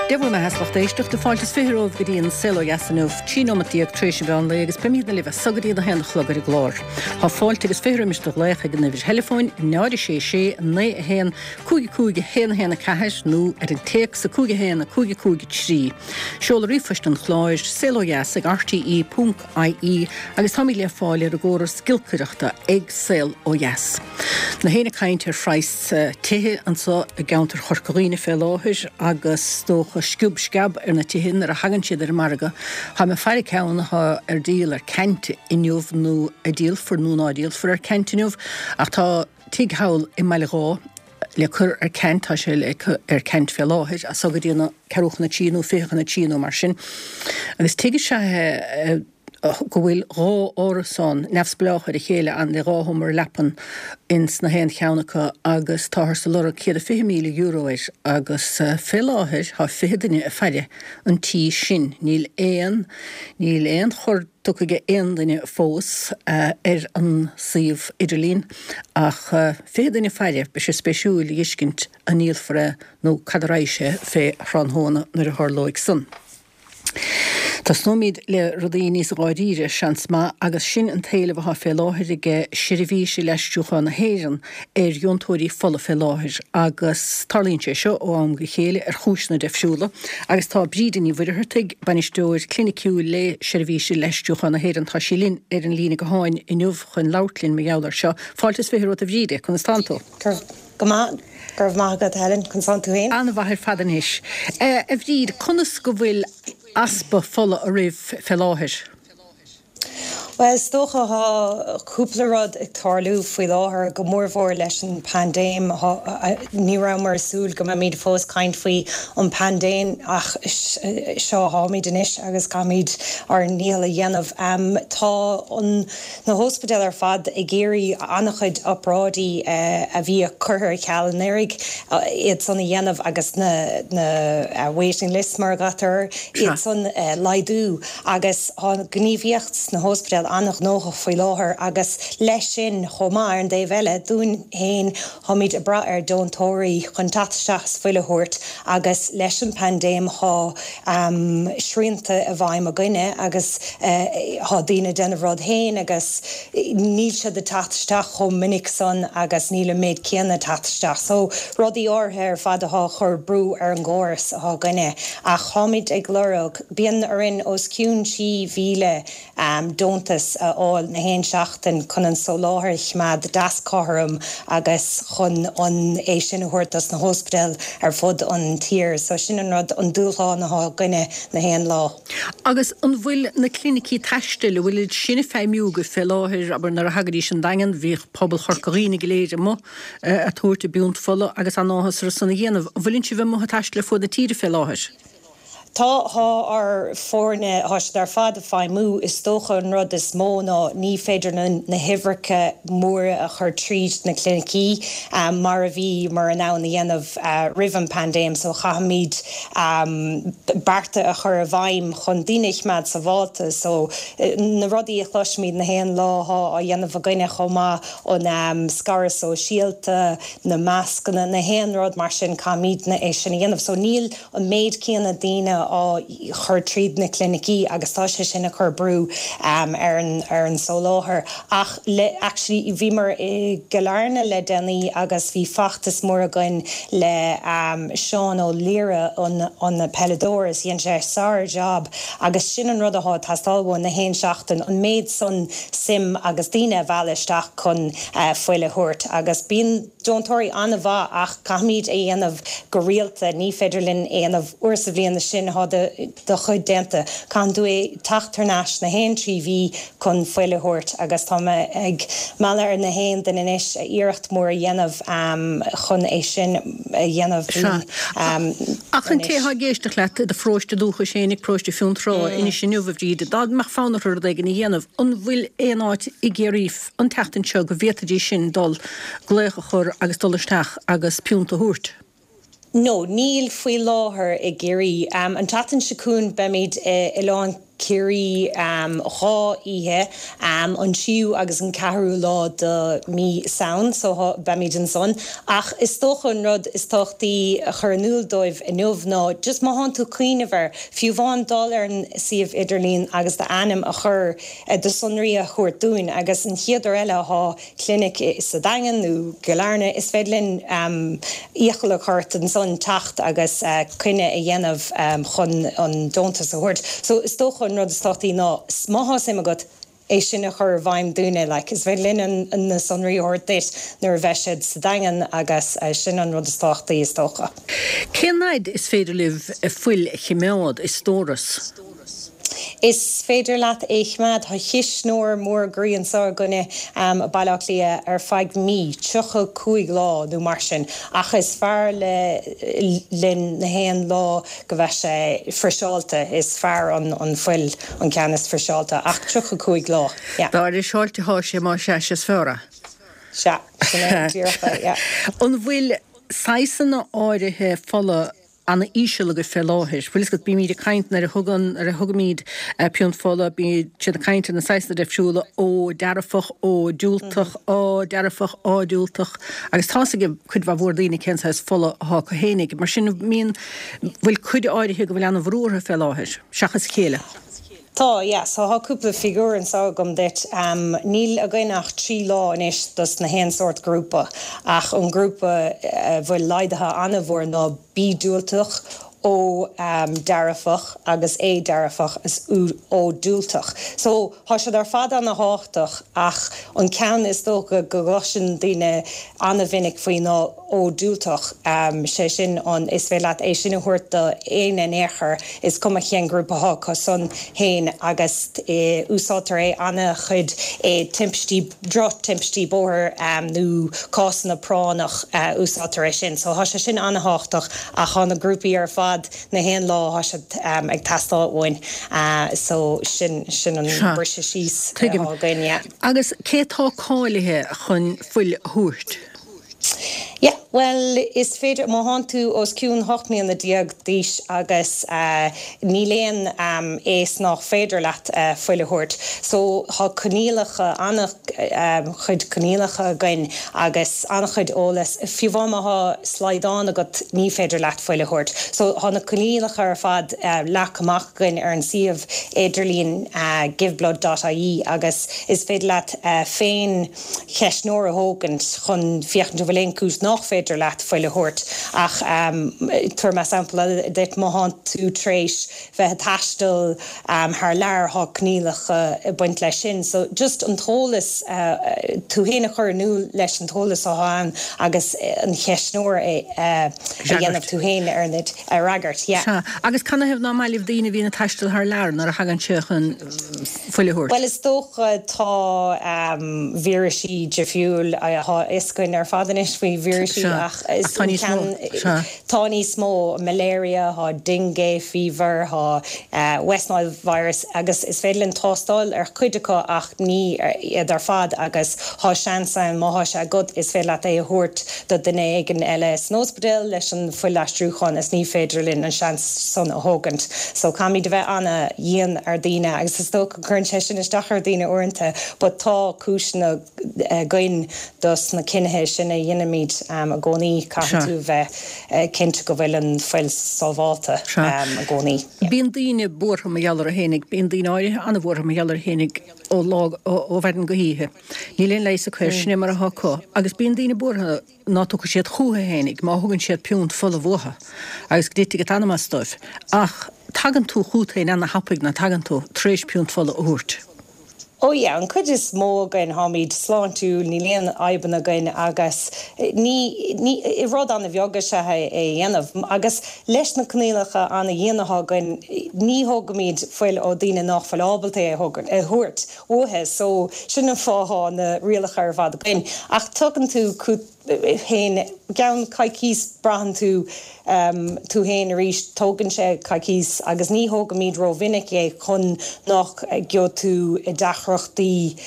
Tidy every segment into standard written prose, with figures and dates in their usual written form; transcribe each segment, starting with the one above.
Dia bhur mbeatha a lucht éisteachta, fáilte is 20 romhaibh go dtí an Saol Ó Dheas inniu, 13 nóimeat tar éis an mheán lae agus beimidne libh as so go dtí an 1 a chlog ar an gclár. Tá fáilte agus 20 roimis do ghlaoch ag an uimhir theileafóin 0 6 6 9 1 5 5 1 1 4 nó ar an téacs 5 1 5 5 3. Seoladh ríomhphoist an chláir, saolodheas ag rte ponc ie agus táimid le fáil ar an gcóras giolcaireachta ag Saol Ó Dheas. Na héinne ag caint ar phraghas tithe anso i gceantar Chorca Dhuibhne fé láthair agus is dócha sciob sceab ar na tithe nuair a thagann siad ar an margadh. Táim ag faire ceann atá ar díol ar ceant inniu nó a díolfar nó ná díolfar ar ceant inniu ach tá tigh thall i mBaile Dháith le cur ar ceant, tá sé le cur ar ceant fé láthair, as so go dtí na ceathrú chun a trí nó 20 chun a trí nó mar sin. Agus tigh is ea é go bhfuil dhá árasán neamhspleách ar a chéile ann le dhá sheomra leapan ins na haon cheann acu agus táthar ag lorg €120,000 air agus fé láthair tá 20 duine ag faire an tí sin. Níl aon, níl aon chor tugtha ag aon duine fós ar an suíomh idirlín ach 20 duine ag faire, beidh sé spéisiúil a dh'fheiscint an ndíolfar é nó cad a raghaidh sé fé thráthnóna nuair a tharlóidh san. Tosnóimid le rudaí níos dháiríre, seans maith, agus sin an t-éileamh atá fé láthair ag Seirbhís Uile-Aistriúcháin na hÉireann ar dheontóirí fola fé láthair agus tarlaíonn sé seo ó am go chéile ar chúiseanna deifriúla agus tá Bríde Ní Mhuircheartaigh, Bainisteoir Cliniciúil le Seirbhís Uile-Aistriúcháin na hÉireann, tá sí linn ar an líne gutháin inniu chun labhairt linn mar gheall air seo. Fáilte is 20 romhat a Bhríde, conas tánn tú? Go maith, go raibh maith agat Helen, conas tánn tú féin? An-mhaith ar fad anois. A Bhríd, conas go bhfuil easpa fola oraibh fé láthair? Bhuel, is dócha tá cúpla rud ag tarlú faoi láthair, go mórmhór leis an bpaindéim. Ní rabhamar ag súil go mbeimid fós caint faoi an bpaindéim ach seo atáimid anois agus caithfimid ár ndícheall a dhéanamh. Tá an na hóspidéil ar fad ag iarraidh an-chuid obráidí a bhí curtha ar ceal anuraidh, iad san a dhéanamh agus na na waiting lists mar a ghlaotar air, iad san a laghdú. Agus tá an ghníomhaíocht sna hóspidéil an-ghnóthach faoi láthair agus leis sin chomh maith, ar an dtaobh eile, dúinn féin, táimid ag brath ar deontóirí chun teacht isteach is fuil a thabhairt agus leis an bpaindéim tá srianta i bhfeidhm againne agus tá daoine ag déanamh a rud féin agus níl siad ag teacht isteach chomh minic san agus níl an méid céanna ag teacht isteach. So rudaí áirithe ar fad atá ag cur brú ar an gcóras atá againne ach táimid ag lorg Bíonn orainn os cionn 3,000 deontas a fháil na haon seachtain chun an soláthar a choimeád deas cothrom agus chun an é sin a thabhairt dos na hóspidéil ar fud an tír. So sin an rud, an dúshlán atá againne na haon lá. Agus an bhfuil na clinicí taistil, an bhfuil iad sin ag feidhmiú agaibh fé láthair, abair nuair a thagaidís an Daingean, bhíodh pobal Chorca Dhuibhne go léir amuigh a' tabhairt a bpiúnt fola agus an-áthas orthu san a dhéanamh. An bhfuileann sibh amuigh ag taisteal ar fuaid na tíre fé láthair? Tá, tá ár foirne, tá siad ar fad ag feidhmiú. Is dócha an rud is mó ná ní féidir linn na huimhreacha móra a chur tríd na clinicí mar a bhíomar in ann a dhéanamh roimh an bpaindéim so caithfimid bearta a chur i bhfeidhm chun daoine a choimeád sábháilte. So na rudaí a chloisimid na haon lá thá á dhéanamh againne chomh maith, an scaradh sóisialta, na mascanna, na haon rud mar sin caithfimidne é sin a dhéanamh. So níl an méid céanna daoine á chur tríd na clinicí agus tá sé sin ag cur brú ar an ar an soláthar. Ach le actually bhíomar i gCill Airne le déanaí agus bhí feachtas mór againn le Seán Ó Laoire an an peileadóir is dhein sé sár job agus sin an rud athá ag teastáil uainn na haon seachtain an méid san suim agus daoine a mhealladh isteach chun fuil a thabhairt agus bíonn deontóirí an-mhaith ach caithfimid é dhéanamh go rialta, ní féidir linn é dhéanamh uair sa bhliain is sin thá do chuid déanta. Caitheann tú é teacht thar n-ais na haon 3 mhí chun fuil a thabhairt agus tá mé ag mealladh ar na haon duine anois iarracht mór a dhéanamh chun é sin a dhéanamh Sea. Ach an té atá ag éisteacht leat i do pharóiste dúchais fhéinig, paróiste Fionntrá, anois inniu, a Bhríd, dá mbeadh fonn orthu rud éigin a dhéanamh, an bhfuil aon áit i gCiarraí an tseachtain seo go bhféadfaidís sin dul, glaoch a chur agus dul isteach agus piúnt a thabhairt? No, níl faoi láthair i gCiarraí. An tseachtain seo chugainn beimid i Oileán. Ciarraí 2 oíche, an tríú agus an ceathrú lá de mí Samhain, so beimid ansan. Ach is dócha an rud is tábhachtaí a chur in iúl dóibh inniu ná just má thánn tú ag cuimhneamh air, fiú amháin dul ar an suíomh idirlín agus d'ainm a chur, do sonraí a thabhairt dúinn agus an chéad uair eile athá clinic sa Daingean nó gCill Airne, is féidir linn iachall a chur ort ansan teacht agus coinne a dhéanamh chun an deontas a thabhairt. So is dócha an rud is tábhachtaí ná má thá suim agat é sin a chur i bhfeidhm dúinne, like, is féidir linn na sonraí a thabhairt duit nuair a bheidh siad sa Daingean agus sin an rud is tábhachtaí is dócha. Cén fhaid is féidir libh fuil a chimeád i stóras? Is féidir leat é choimeád. Tá cisneoir mór groí anseo againne i Baile Átha Cliath ar feadh mí, 35 lá nó mar sin, ach is fearr linn na haon lá go mbeidh sé friseáilte, is fearr an fuil an ceann is friseáilte, ach 35 lá, yeah. Dá fhriseáilte atá sé, más ea, is fearr é. Sea, sin é díreach é, yeah. An bhfuil saghsanna áirithe fola ana-íseal agaibh fé láthair. Bhfuil fhios agat, bímíd ag caint nuair a thugann, nuair a thugaimíd piúnt fola, bíonn siad ag caint ar na saghsanna difriúla, O dearfach, O diúltach, A dearfach, A diúltach, agus tá's ag cuid mhaith mhór daoine cén saghas fola athá acu fhéinig. Mar sin, mbíonn, bhfuil cuid áirithe go bhfuil ana-bhrú orthu fé láthair, seachas a chéile. Tá, yeah. So thá cúpla figiúr anseo agam duit. Níl againn ach 3 lá anois dos na haon sórt grúpa, ach an grúpa a bhfuil laghdaithe an-mhór ná B diúltach, O dearfach agus A dearfach is O diúltach. So thá siad ar fad ana-thábhachtach ach an ceann is dócha go gcloiseann daoine ana-mhinic faoi ná O diúltach, sé sin an, is féidir leat é sin a thabhairt do éinne in aon chor, is cuma cén grúpa athá acu san fhéin agus úsáidtear é ana-chuid i timpistí, droch-timpistí bóthair nó cásanna práinneach, úsáidtear é sin. So thá sé sin ana-thábhachtach ach thá na grúpaí ar fad na haon lá thá siad ag teastáil uainn so sin, sin an briseadh síos atá againn, yeah. Agus cé atá cáilithe chun fuil a thabhairt? Yeah, bhuel, is féidir, má thánn tú os cionn 18 mbliana d'aois agus níl aon aos nách féidir leat fuil a thabhairt. So, thá coinníollacha, an-chuid coinníollacha againn agus an-chuid eolas. Fiú amháin má thá slaghdán agat ní féidir leat fuil a thabhairt. So, thá na coinníollacha ar fad leagtha amach againn ar an suíomh idirlín giveblood dot ie agus is féidir leat féin cheistneoir a thógaint chun féachaint an bhfuil aon chúis nách féidir leat fuil a thabhairt ach tabharfaidh mé sampla eile duit, má thánn tú tar éis bheith ag taisteal thar lear thá coinníollacha ag baint leis sin so just an t-eolas, tú fhéin a chur in iúl leis an t-eolas athá ann agus an cheistneoir a dhéanamh tú fhéin ar an a fhreagairt, yeah. Sea, agus canathaobh ná maith libh daoine a bhíonn ag taisteal thar lear nuair a thagann sé chun fuil a thabhairt? Bhuel, is dócha tá vírisí difriúil, tá a fhios againn ar fad anois faoi vírisí ach is tá níos mó, sea. Tá níos mó, malaria, thá dengue fever, thá West Nile virus agus is féidir linn tástáil ar chuid acu ach ní iad ar fad agus thá seans ann má thá sé agat is féidir leat é a thabhairt do duine éigin eile san ospidéal leis an fuilaistriúchán is ní féidir linn an seans san a thógaint. So caithfimid a bheith ana-dhian ar daoine agus is dócha go gcuireann sé sin isteach ar daoine uaireanta but tá cúiseanna againn dos na cinnithe sin a dheinimid i gcónaí. Caithfidh tú bheith cinnte go bhfuil an fuil sábhálta i gcónaí. Bíonn daoine buartha mar gheall orthu fhéinig, bíonn daoine áirithe ana-bhuartha mar gheall orthu fhéinig ó lá, ó mhaidin go hoíche. Níl aon leigheas acu air, sin é mar atá acu. Agus bíonn daoine buartha ná tiocfaidh siad chúthu fhéinig má thugann siad piúnt fola uathu agus go dtitfidh an t-anam as dóibh. Ach tagann tú chút féin ana-thapaidh, ná tagann tú, tar éis piúnt fola a thabhairt. Oh yeah, an cuid is mó againn, tháimid sláintiúil, níl aon fhadhbanna againn agus ní, ní, rud ana-bheag is ea é a dhéanamh. Agus leis na coinníollacha ana-dhian atá againn, ní thógaimid fuil ó daoine nách bhfuil ábalta é a thabhairt. uathu so sin an fáth thá na rialacha ar fad againn. Ach tugann tú. Féin, i gceann coicís braitheann tú tú féin arís, tógann sé coicís agus ní thógaimid rómhinic é chun nach gheobhaidh tú i deacrachtaí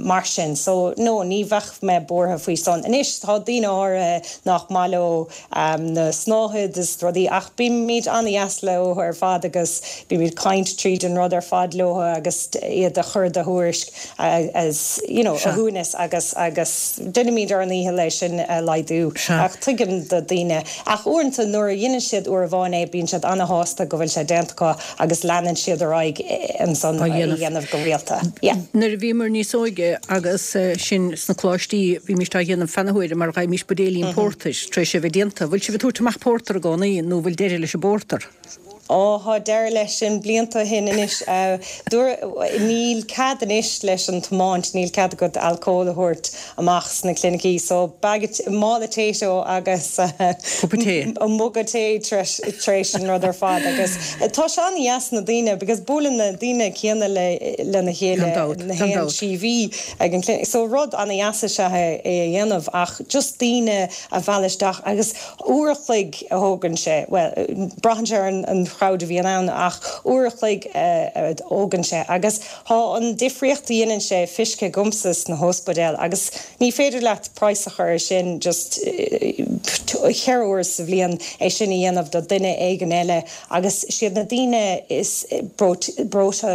mar sin. So no, ní bheadh mé buartha faoi san. Anois tá daoine áirithe nach maith leo na snáthaid is rudaí ach bímid an-dheas leo ar fad agus bímid caint tríd an rud ar fad leo agus iad a chur de thuairisc as you know a shuaimhneas agus agus déanaimid ár ndícheall é sin a laghdú ach tuigim do daoine ach uaireanta nuair a dheineann siad uair amháin é bíonn siad an-shásta go bhfuil sé déanta acu agus leanann siad ar aghaidh ansan á dhéanamh go rialta. Yeah. Nuair a bhíomar níos óige agus sinn sna coláistí bhímíst á dhéanamh feadh na huaire mar gheibhimís buidéilín pórtair tar éis é bheith déanta. Bhfuil sibh ag tabhairt amach pórtar i gcónaí nó bhfuil deireadh leis an bpórtar? Ó, thá deireadh leis sin blianta ó shin anois. Dúradh, níl cead anois leis an tiomáint, níl cead agat alcól a thabhairt amach sna clinicí so bag mála Tayto agus Cupa tae. muga tae tar éis an rud ar fad agus tá sé an-dheas na daoine because buaileann na daoine céanna le lena chéile Gan dabht, na gan haon dabht. trí mhí ag an clinic so rud an-dheas is ea é a dhéanamh ach just daoine a mhealladh isteach agus uair a chloig a thógann sé, bhuel braitheann sé ar an chrowd a bhíonn ann ach uair a chloig a thógann sé agus Tá an difríocht a dhéanann sé feicthe agamsa sna hóspidéil agus ní féidir leat praghas a chur ar sin just cheithre huaire sa bhliain é sin a dhéanamh do duine éigin eile agus siad na daoine is breoite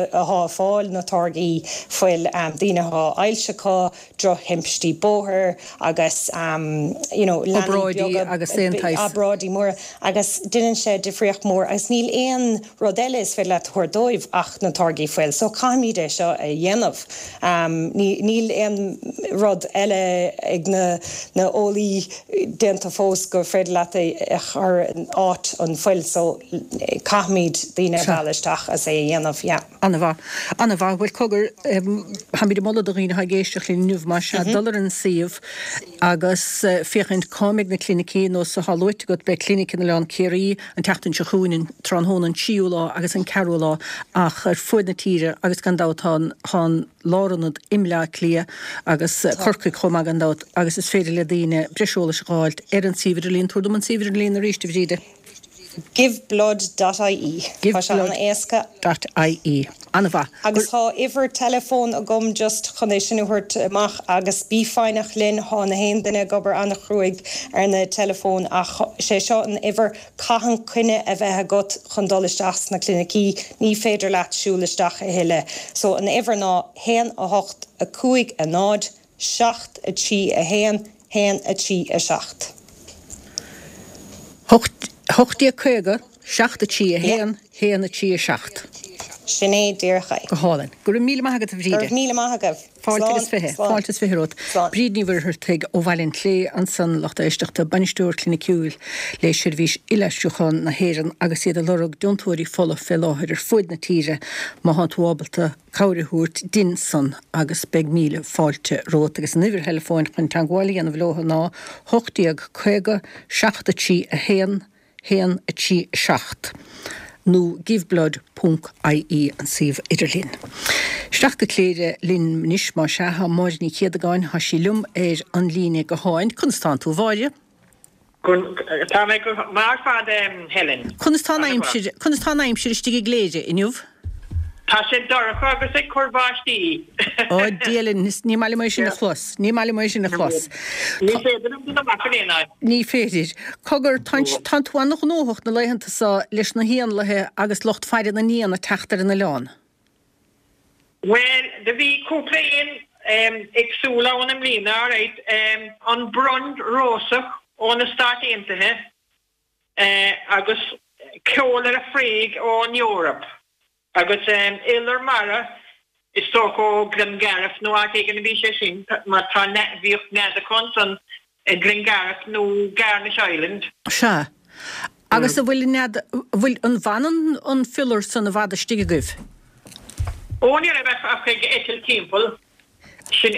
athá ag fáil na táirgí fuil, daoine athá ailse acu, drochthimpistí bóthair agus you know leanaí Obráidí beaga, agus aon tsaghas. obráidí móra agus déanann sé difríocht mhór agus níl aon rud eile is féidir leat a thabhairt dóibh ach na táirgí fuil so caithfimid é seo a dhéanamh. Níl aon rud eile ag na na eolaí déanta fós gur féidir leat é a chur in áit an fuil so caithfimid daoine a mhealladh isteach as é a dhéanamh yeah. An-mhaith. An-mhaith. Bhuel, cogar, táimid ag moladh do dhaoine atá ag éisteacht linn inniu, más ea, dul ar an suíomh agus féachaint cá mbeidh na clinicí, nós atá luaite agat, beidh clinic in Oileán Ciarraí an tseachtain seo chugainn, an tráthnóna an tríú lá agus an ceathrú lá, ach ar fuaid na tíre agus gan dabht tá an, tá an lárionad i mBleá Cliath agus Corcaigh chomh maith gan dabht agus is féidir le daoine breis eolais a dh'fháilt ar an suíomh idirlín. Tabhair dom an suíomh idirlín arís, a Bhríde. Giveblood.ie. Tá sé an-éasca. Giveblood.ie. An-mhaith. Agus tá uimhir teileafóin agam just chun é sin a thabhairt amach agus bí foighneach linn, thá na haon duine ag obair an-chruaidh ar na teileafóin ach sé seo an uimhir, caitheann coinne a bheith agat chun dul isteach sna clinicí, ní féidir leat siúl isteach a thuilleadh. So an uimhir ná 1 8 5 0 7 3 1 1 3 7. 1850 7 3 1 1 3 7. Sin é díreach é. Go hálainn. Go raibh míle maith agat, a Bhríde. Go raibh míle maith agaibh. Fáilte agus 20. Slán. Fáilte is 20 romhat. Slán. Bríd Ní Mhuircheartaigh ó Bhaile an tSlé ansan, lucht éisteachta, Bainisteoir Cliniciúil le Seirbhís Fhuilaistriúcháin na hÉireann agus iad ag lorg deontóirí fola fé láthair ar fuaid na tíre má thánn tú ábalta cabhair a thabhairt dinn san agus beidh míle fáilte romhat agus an uimhir theileafóin chun teangmháil a dhéanamh leo ná 1850 7 3 1 1 3 7 nó giveblood ponc ie an suíomh idirlín. Isteach go Cléire linn anois más ea, tá Máire Ní Chéadagáin, tá sí liom ar an líne gutháin. Conas tánn tú a Mháire? Tá mé go maith ar fad, Helen. Conas tá an aimsir, conas tá an aimsir istigh i gCléire inniu? Tá sé dorcha agus ag cur báistí. Ó, Dia linn, ní maith liom é sin a chlos. Ní maith liom é sin a chlos. Ní féidir liom dul amach in aon áit. Ní féidir. Cogar, tánn tú an-ghnóthach na laethanta so leis na héanlaithe agus lucht faire na n-éan ag teacht ar an oileán. Bhuel, do bhí cúpla éan éagsúil ann i mbliana, alright. An brond rósach ó na Stáit Aontaithe agus ceol ar an bhfraoch ón Eoraip agus iolar mara, is dócha ó Glengarriff nó áit éigin a bhí sé sin mar tá, bhíodh nead acu ansan i Glengarriff nó Garnish Island. Sea. Agus an bhfuil an nead, an bhfuil, an bhfanann an fiolar san i bhfad istigh agaibh? Ó ní raibh ach ag eitilt timpeall, sin,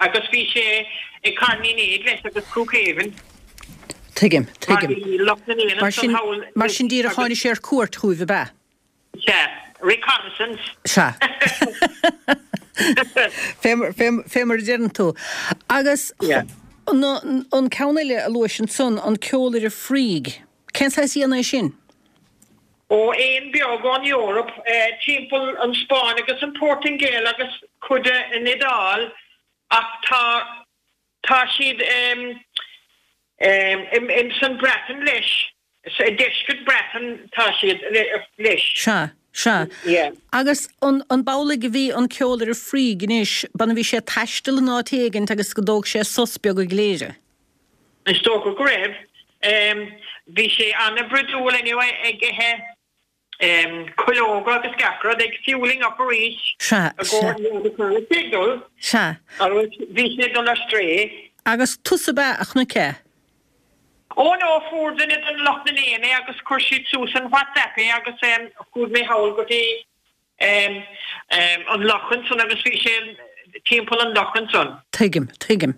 agus bhí sé ag Carn Uí Néid leis agus Crookhaven. Tuigim, tuigim. Mar bhí lucht na n-éan Mar sin, ansan thall mar sin díreach tháinig sé ar cuairt chugaibh, ab ea? Sea, reconnaissance. Sea. Fé mar a deireann tú. Agus Yeah. An ceann eile a luais ansan, an ceolaire fraoigh, cén saghas éan é sin? Ó, éan beag ón Eoraip, timpeall an Spáinn agus an Portaingéil agus cuid de an Iodáil ach tá tá siad ins an Breatain leis, i deisceart Breatain tá siad leis. Sea, sea. Yeah. Agus an an b'amhlaidh a bhí an ceolaire fraoigh anois, b'ann a bhí sé ag taisteal in áit éigint agus go dtóg sé sos beag i gCléire? Is dócha go raibh. Bhí sé an-bhroidiúil anyway ag ithe cuileoga agus gach rud, ag fueling up arís Sea, i gcomhair sea. cá raibh sé ag dul. Sea. Agus bhí sé ag dul ar strae. Agus tusa ab ea a chonaic é? Ó no, fuair duine den lucht na n-éan é agus chuir siad suas an WhatsApp é agus chuaigh mé thall go dtí an loch ansan agus bhí sé timpeall an loch ansan. Tuigim, tuigim.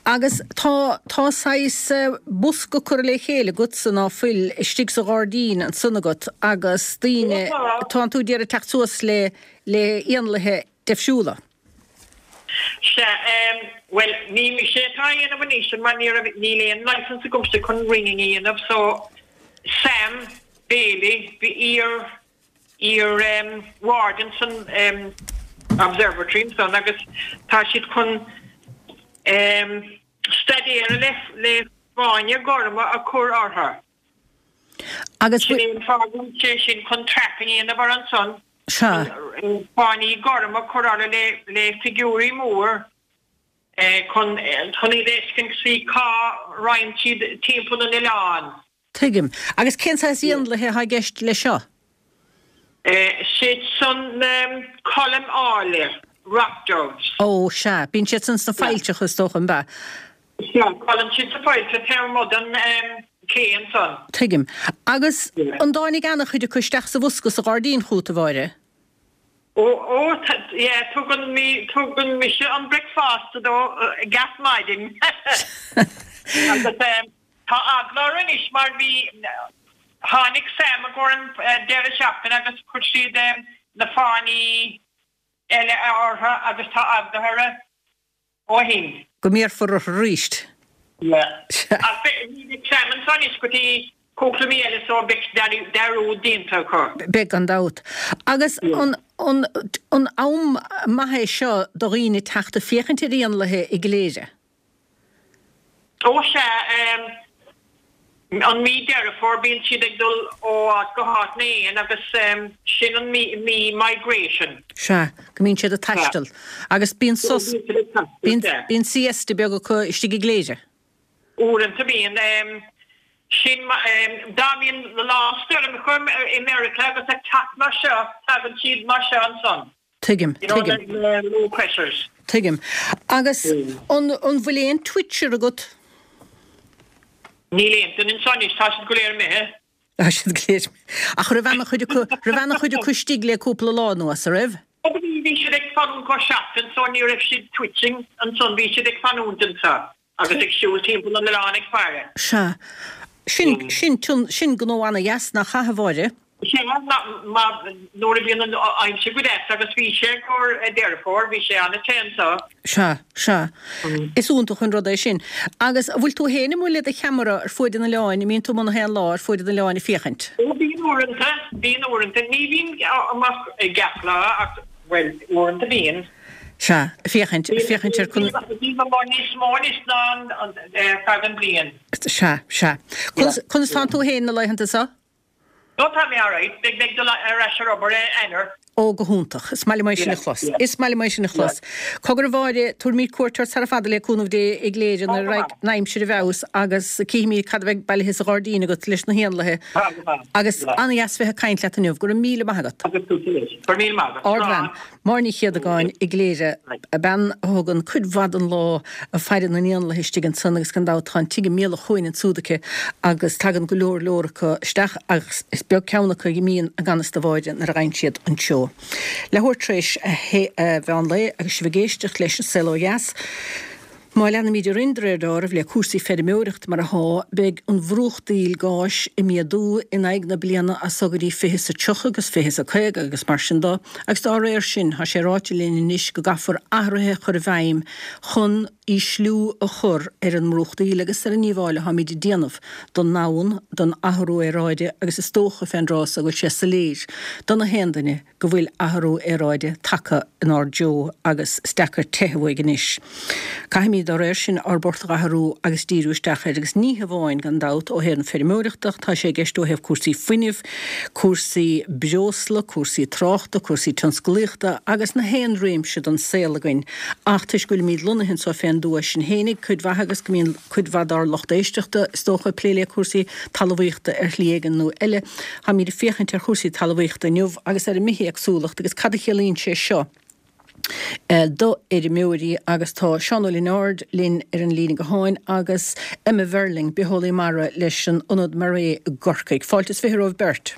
Agus tá, tá saghas bosca curtha le chéile agatsa ná fuil istigh sa ghairdín ansan agat agus daoine, tánn tú d'iarraidh teacht suas le, le éanlaithe deifriúla. Sea, bhuel, ní mise atá á dhéanamh anois mar ní raibh, níl aon licence agamsa chun ringing a dhéanamh so Sam Bailey, bhí iar, iar warden san observatory ansan agus tá siad chun staidéar le le fáinne gorma a chur orthu. Agus Sin é an fáth go bhfuil sé sin chun trapping a dhéanamh orthu ansan, Sea. chun fáinní gorma a chur orthu le le figiúirí mór chun chun iad a fheiscint see cá raghann siad timpeall an oileáin. Tuigim. Agus cén saghas éanlaithe atá i gceist leis seo? Siad san na coilm áille, rock doves. Ó, sea. Bíonn siad san sna failltreacha, is dócha, an ea? Sea, codlaíonn siad sa failltreach taobh amuigh den ché ansan. Tuigim. Agus an dtáinig ana-chuid acu isteach sa bhosca sa ghairdín chugat, a Mháire? Ó, ó, yeah, tugann mi, tugann mise an bricfeasta dó gach maidin. Agus Tá eagla orthu anois mar bhí, tháinig Sam i gcomhair an deireadh seachtaine agus chuir siad na fáinní eile orthu agus tá eagla orthu ó shin. Go mbéarfar orthu arís. Yeah. Ach beidh, ní bheidh Sam anseo anois go dtí cúpla mí eile so beidh dearúd déanta acu. Beidh gan dabht. Agus an, an, an am maith é seo do dhaoine teacht ag féachaint ar éanlaithe i gCléire? Ó sea, an mí Deireadh Fómhair bíonn siad ag dul ó áit go háit na éin agus sin an mí mí migration. Sea, go mbíonn siad ag taisteal. Agus bíonn sos, bíonn, bíonn siesta beag acu istigh i gCléire. Uaireanta bíonn. Sin, dá mbíonn lá stoirmeacha i Meiriceá agus ag teacht mar seo, tagann siad mar seo ansan. Tuigim, tuigim. Low pressures. Tuigim. Agus an an bhfuil aon twitcher agat? Níl aon duine anseo anois, tá siad go léir imithe. Tá siad go léir imithe. Ach raibh ana-chuid acu, raibh ana-chuid acu istigh le cúpla lá anuas, a raibh? Ó bhí, bhí siad ag fanúint go seachtain so ní raibh siad twitching ansan, bhí siad ag fanúint anseo. Agus ag siúl timpeall an oileáin ag faire. Sea. Sin, sin, sin gnó ana-dheas, nach ea, a Mháire? Sea, mar nuair a bhíonn an aimsir go deas agus bhí sé i gcomhair Deireadh Fómhair, bhí sé an-te anseo. Sea, sea. Is iontach an rud é sin. Agus an bhfuil tú féin amuigh le do cheamara ar fuaid an oileáin, an mbíonn tú amuigh na haon lá ar fuaid an oileáin ag féachaint? Ó, bíonn uaireanta, bíonn uaireanta. Ní bhím amach gach lá ach, bhuel, uaireanta bíonn. Sea, féachaint, féachaint ar conas. Bím amuigh níos mó anois ná ar feadh an bhliain. Sea, sea. Conas, conas tánn tú féin na laethanta seo? Ó, tá mé alright. Beidh mé ag dul ar ais ar obair i Eanáir. Ó, go hiontach. Is maith liom é sin a chlos. Is maith liom é sin a chlos. Cogar a Mháire, tabharfaimid cuairt ort sara fada le cúnamh Dé i gCléire nuair a raghaidh an aimsir i bhfeabhas agus cífimid cad a bheidh bailithe sa ghairdín agat leis na héanlaithe. Agus an-dheas bheith ag caint leat inniu. Go raibh míle maith agat. Agus tú leis. Go raibh míle maith agat. Ardbhean. Máire Ní Chéadagáin i gCléire, bean a thugann cuid mhaith den lá ag faire na n-éanlaithe istigh ansan agus gan dabht tá an tigh i mbealach chuain ansúd aici agus tagann go leor leor acu isteach agus is beag ceann acu a imíonn i gan fhios do Mháire nuair a gheibheann siad an seó. Leathuair tar éis a mheán lae agus sibh ag éisteacht leis An Saol Ó Dheas. Má leanaimid orainn de réir deáraimh le cúrsaí feirmeoireachta mar athá, beidh an bhrúchtaíl gáis ag méadú in aghaidh na bliana as so go dtí 2030 agus 2050 agus mar sin do, agus dá réir sin, tá sé ráite linn anois go gcaithfear athruithe a chur i bhfeidhm chun ísliú a chur ar an mbrúchtaíl agus ar an ndíobháil atháimid ag déanamh don ndomhan, don athrú aeráide agus is dócha fén dtráth so go bhfuil sé soiléir do na haon duine go bhfuil athrú aeráide tagtha inár dtreo agus is deacair teitheadh uaidh anois. Caithfimid, dá réir sin, ár bport a athrú agus díriú isteach air agus ní hamháin, gan dabht, ó thaobh na feirmeoireachta ach tá sé i gceist ó thaobh cúrsaí fuinnimh, cúrsaí breosla, cúrsaí tráchta, cúrsaí tionsclaíochta agus na haon réimse den saol againn. Ach toisc go bhfuilimid lonnaithe anseo fén dtuath sinn fhéinig, cuid mhaith agus go mbíonn cuid mhaith dár lucht éisteachta, is dócha, ag plé le cúrsaí talmhaíochta ar shlí éigin nó eile, Táimid ag féachaint ar chúrsaí talmhaíochta inniu agus ar an mbithéagsúlacht agus cad a chiallaíonn sé seo do fheirmeoirí agus tá Seán Ó Lionáird linn ar an líne gutháin agus Emma Verling, bitheolaí mara leis an Ionad MaREI i gCorcaigh. Fáilte is 20 romhaibh beirt.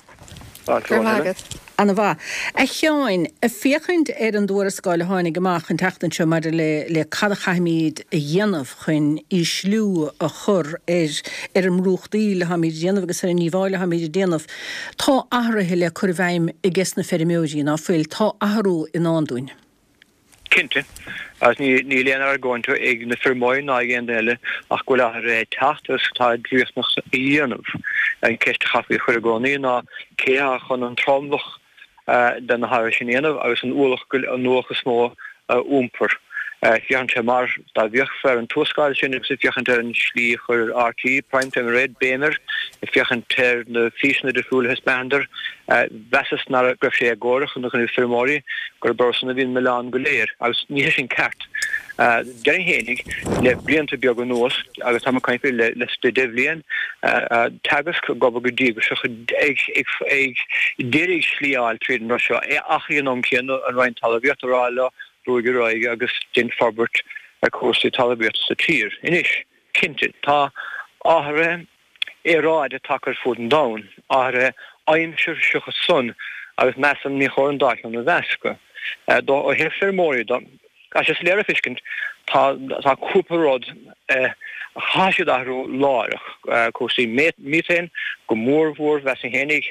Fáilte romhat, Helen. Ana mhaith. A Sheáin, ag féachaint ar an dtuarascáil a tháinig amach an tseachtain seo maidir le le cad a chaithfimid a dhéanamh chun ísliú a chur ar ar an mbrúchtaíl atháimid a dhéanamh agus ar an ndíobháil atháimid a déanamh, tá athruithe le cur i bhfeidhm ages na feirmeoirí, ná fuil? Tá athrú i ndán dúinn. Cinnte. Agus níl aon argóint ag na feirmeoirí ná ag aon duine eile ach go bhfuil athruithe ag teacht agus atá riachtanach a dhéanamh. An ceist a chaithfí a chur i gcónaí ná cé atá chun an tromlach de na hathruithe sin a dhéanamh agus an ualach an ualach is mó a iompar. Féachann sé mar dá bhféachfá ar an tuarascáil sin agus ag féachaint ar an slí a chuir RTÉ Prime Time aréir béim air, ag féachaint ar na físeanna difriúla a thaispeánadar, Mheasas nach raibh sé éagórach ina choinne feirmeoirí, gurb orthusan a bhí an milleán go léir, agus ní hé sin ceart. Déarfainn fhéinig, le blianta beaga anuas, agus táim ag caint faoi le deich bhliain, Teagasc ag obair go díograiseach ag iarraidh slí a fháil tríd an rud seo, ach ag an am céanna an Roinn Talmhaíochta ag rá leo brúigh ar aghaidh agus déan forbairt ar chúrsaí talmhaíochta sa tír. Anois, cinnte, tá athruithe aeráide tagtha ar fud an domhain, athruithe aimsire seachas san, agus measaim ní chóir an dá cheann a mheascadh. Ó thaobh feirmeoirí de, tá sé soiléir a feiscint, tá tá cúpla rud a chaithfidh siad athrú láithreach, cúrsaí methane go mór mhór, mheasfainn fhéinig,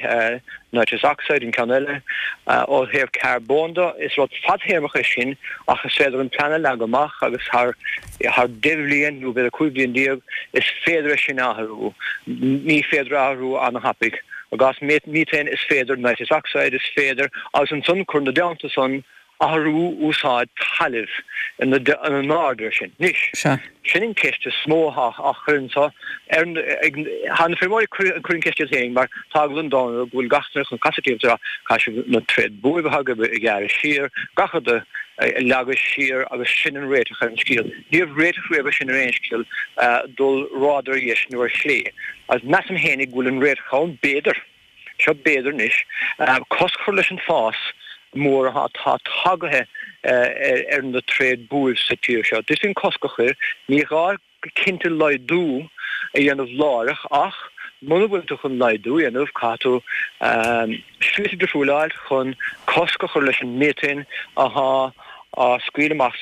nitrous oxide an ceann eile. Ó thaobh carbóin de, is rud fadthéarmach é sin ach is féidir an plean a leagadh amach agus thar thar 10 bhliain nó b'fhéidir 15 bhliain is féidir é sin a athrú. Ní féidir a athrú ana-thapaidh. I gcás methane is féidir, nitrous oxide is féidir agus ansan cur ina dteannta san athrú úsáid talaimh ina n-aird air sin. Anois, sin an ceist is mó atá á chur anso ar ag tá na feirmeoirí ag cur an ceist iad féin mar tá eagla an domhain orthu go bhfuil gach duine chun casadh díobh is a rá caithfidh sibh na tréad buaibh atá agaibh a ghearradh siar, gach rud a leagadh siar agus sin an réiteach ar an scéal. Ní raibh réiteach riamh ar sin ar aon scéal dul radar ar dheis nó ar chlé. Agus measaim fhéinig go bhfuil an réiteach ann, b'fhéidir, seo b'fhéidir anois, cosc a chur leis an fás mór atá tagaithe ar na tréad buaibh sa tír seo. D'fhéadfaí an cosc a chur, ní gá go cinnte laghdú a dhéanamh láithreach ach muna bhfuil tú chun laghdú a dhéanamh caithfidh tú slite difriúla a fháil chun cosc a chur leis an méatain athá á scaoileadh amach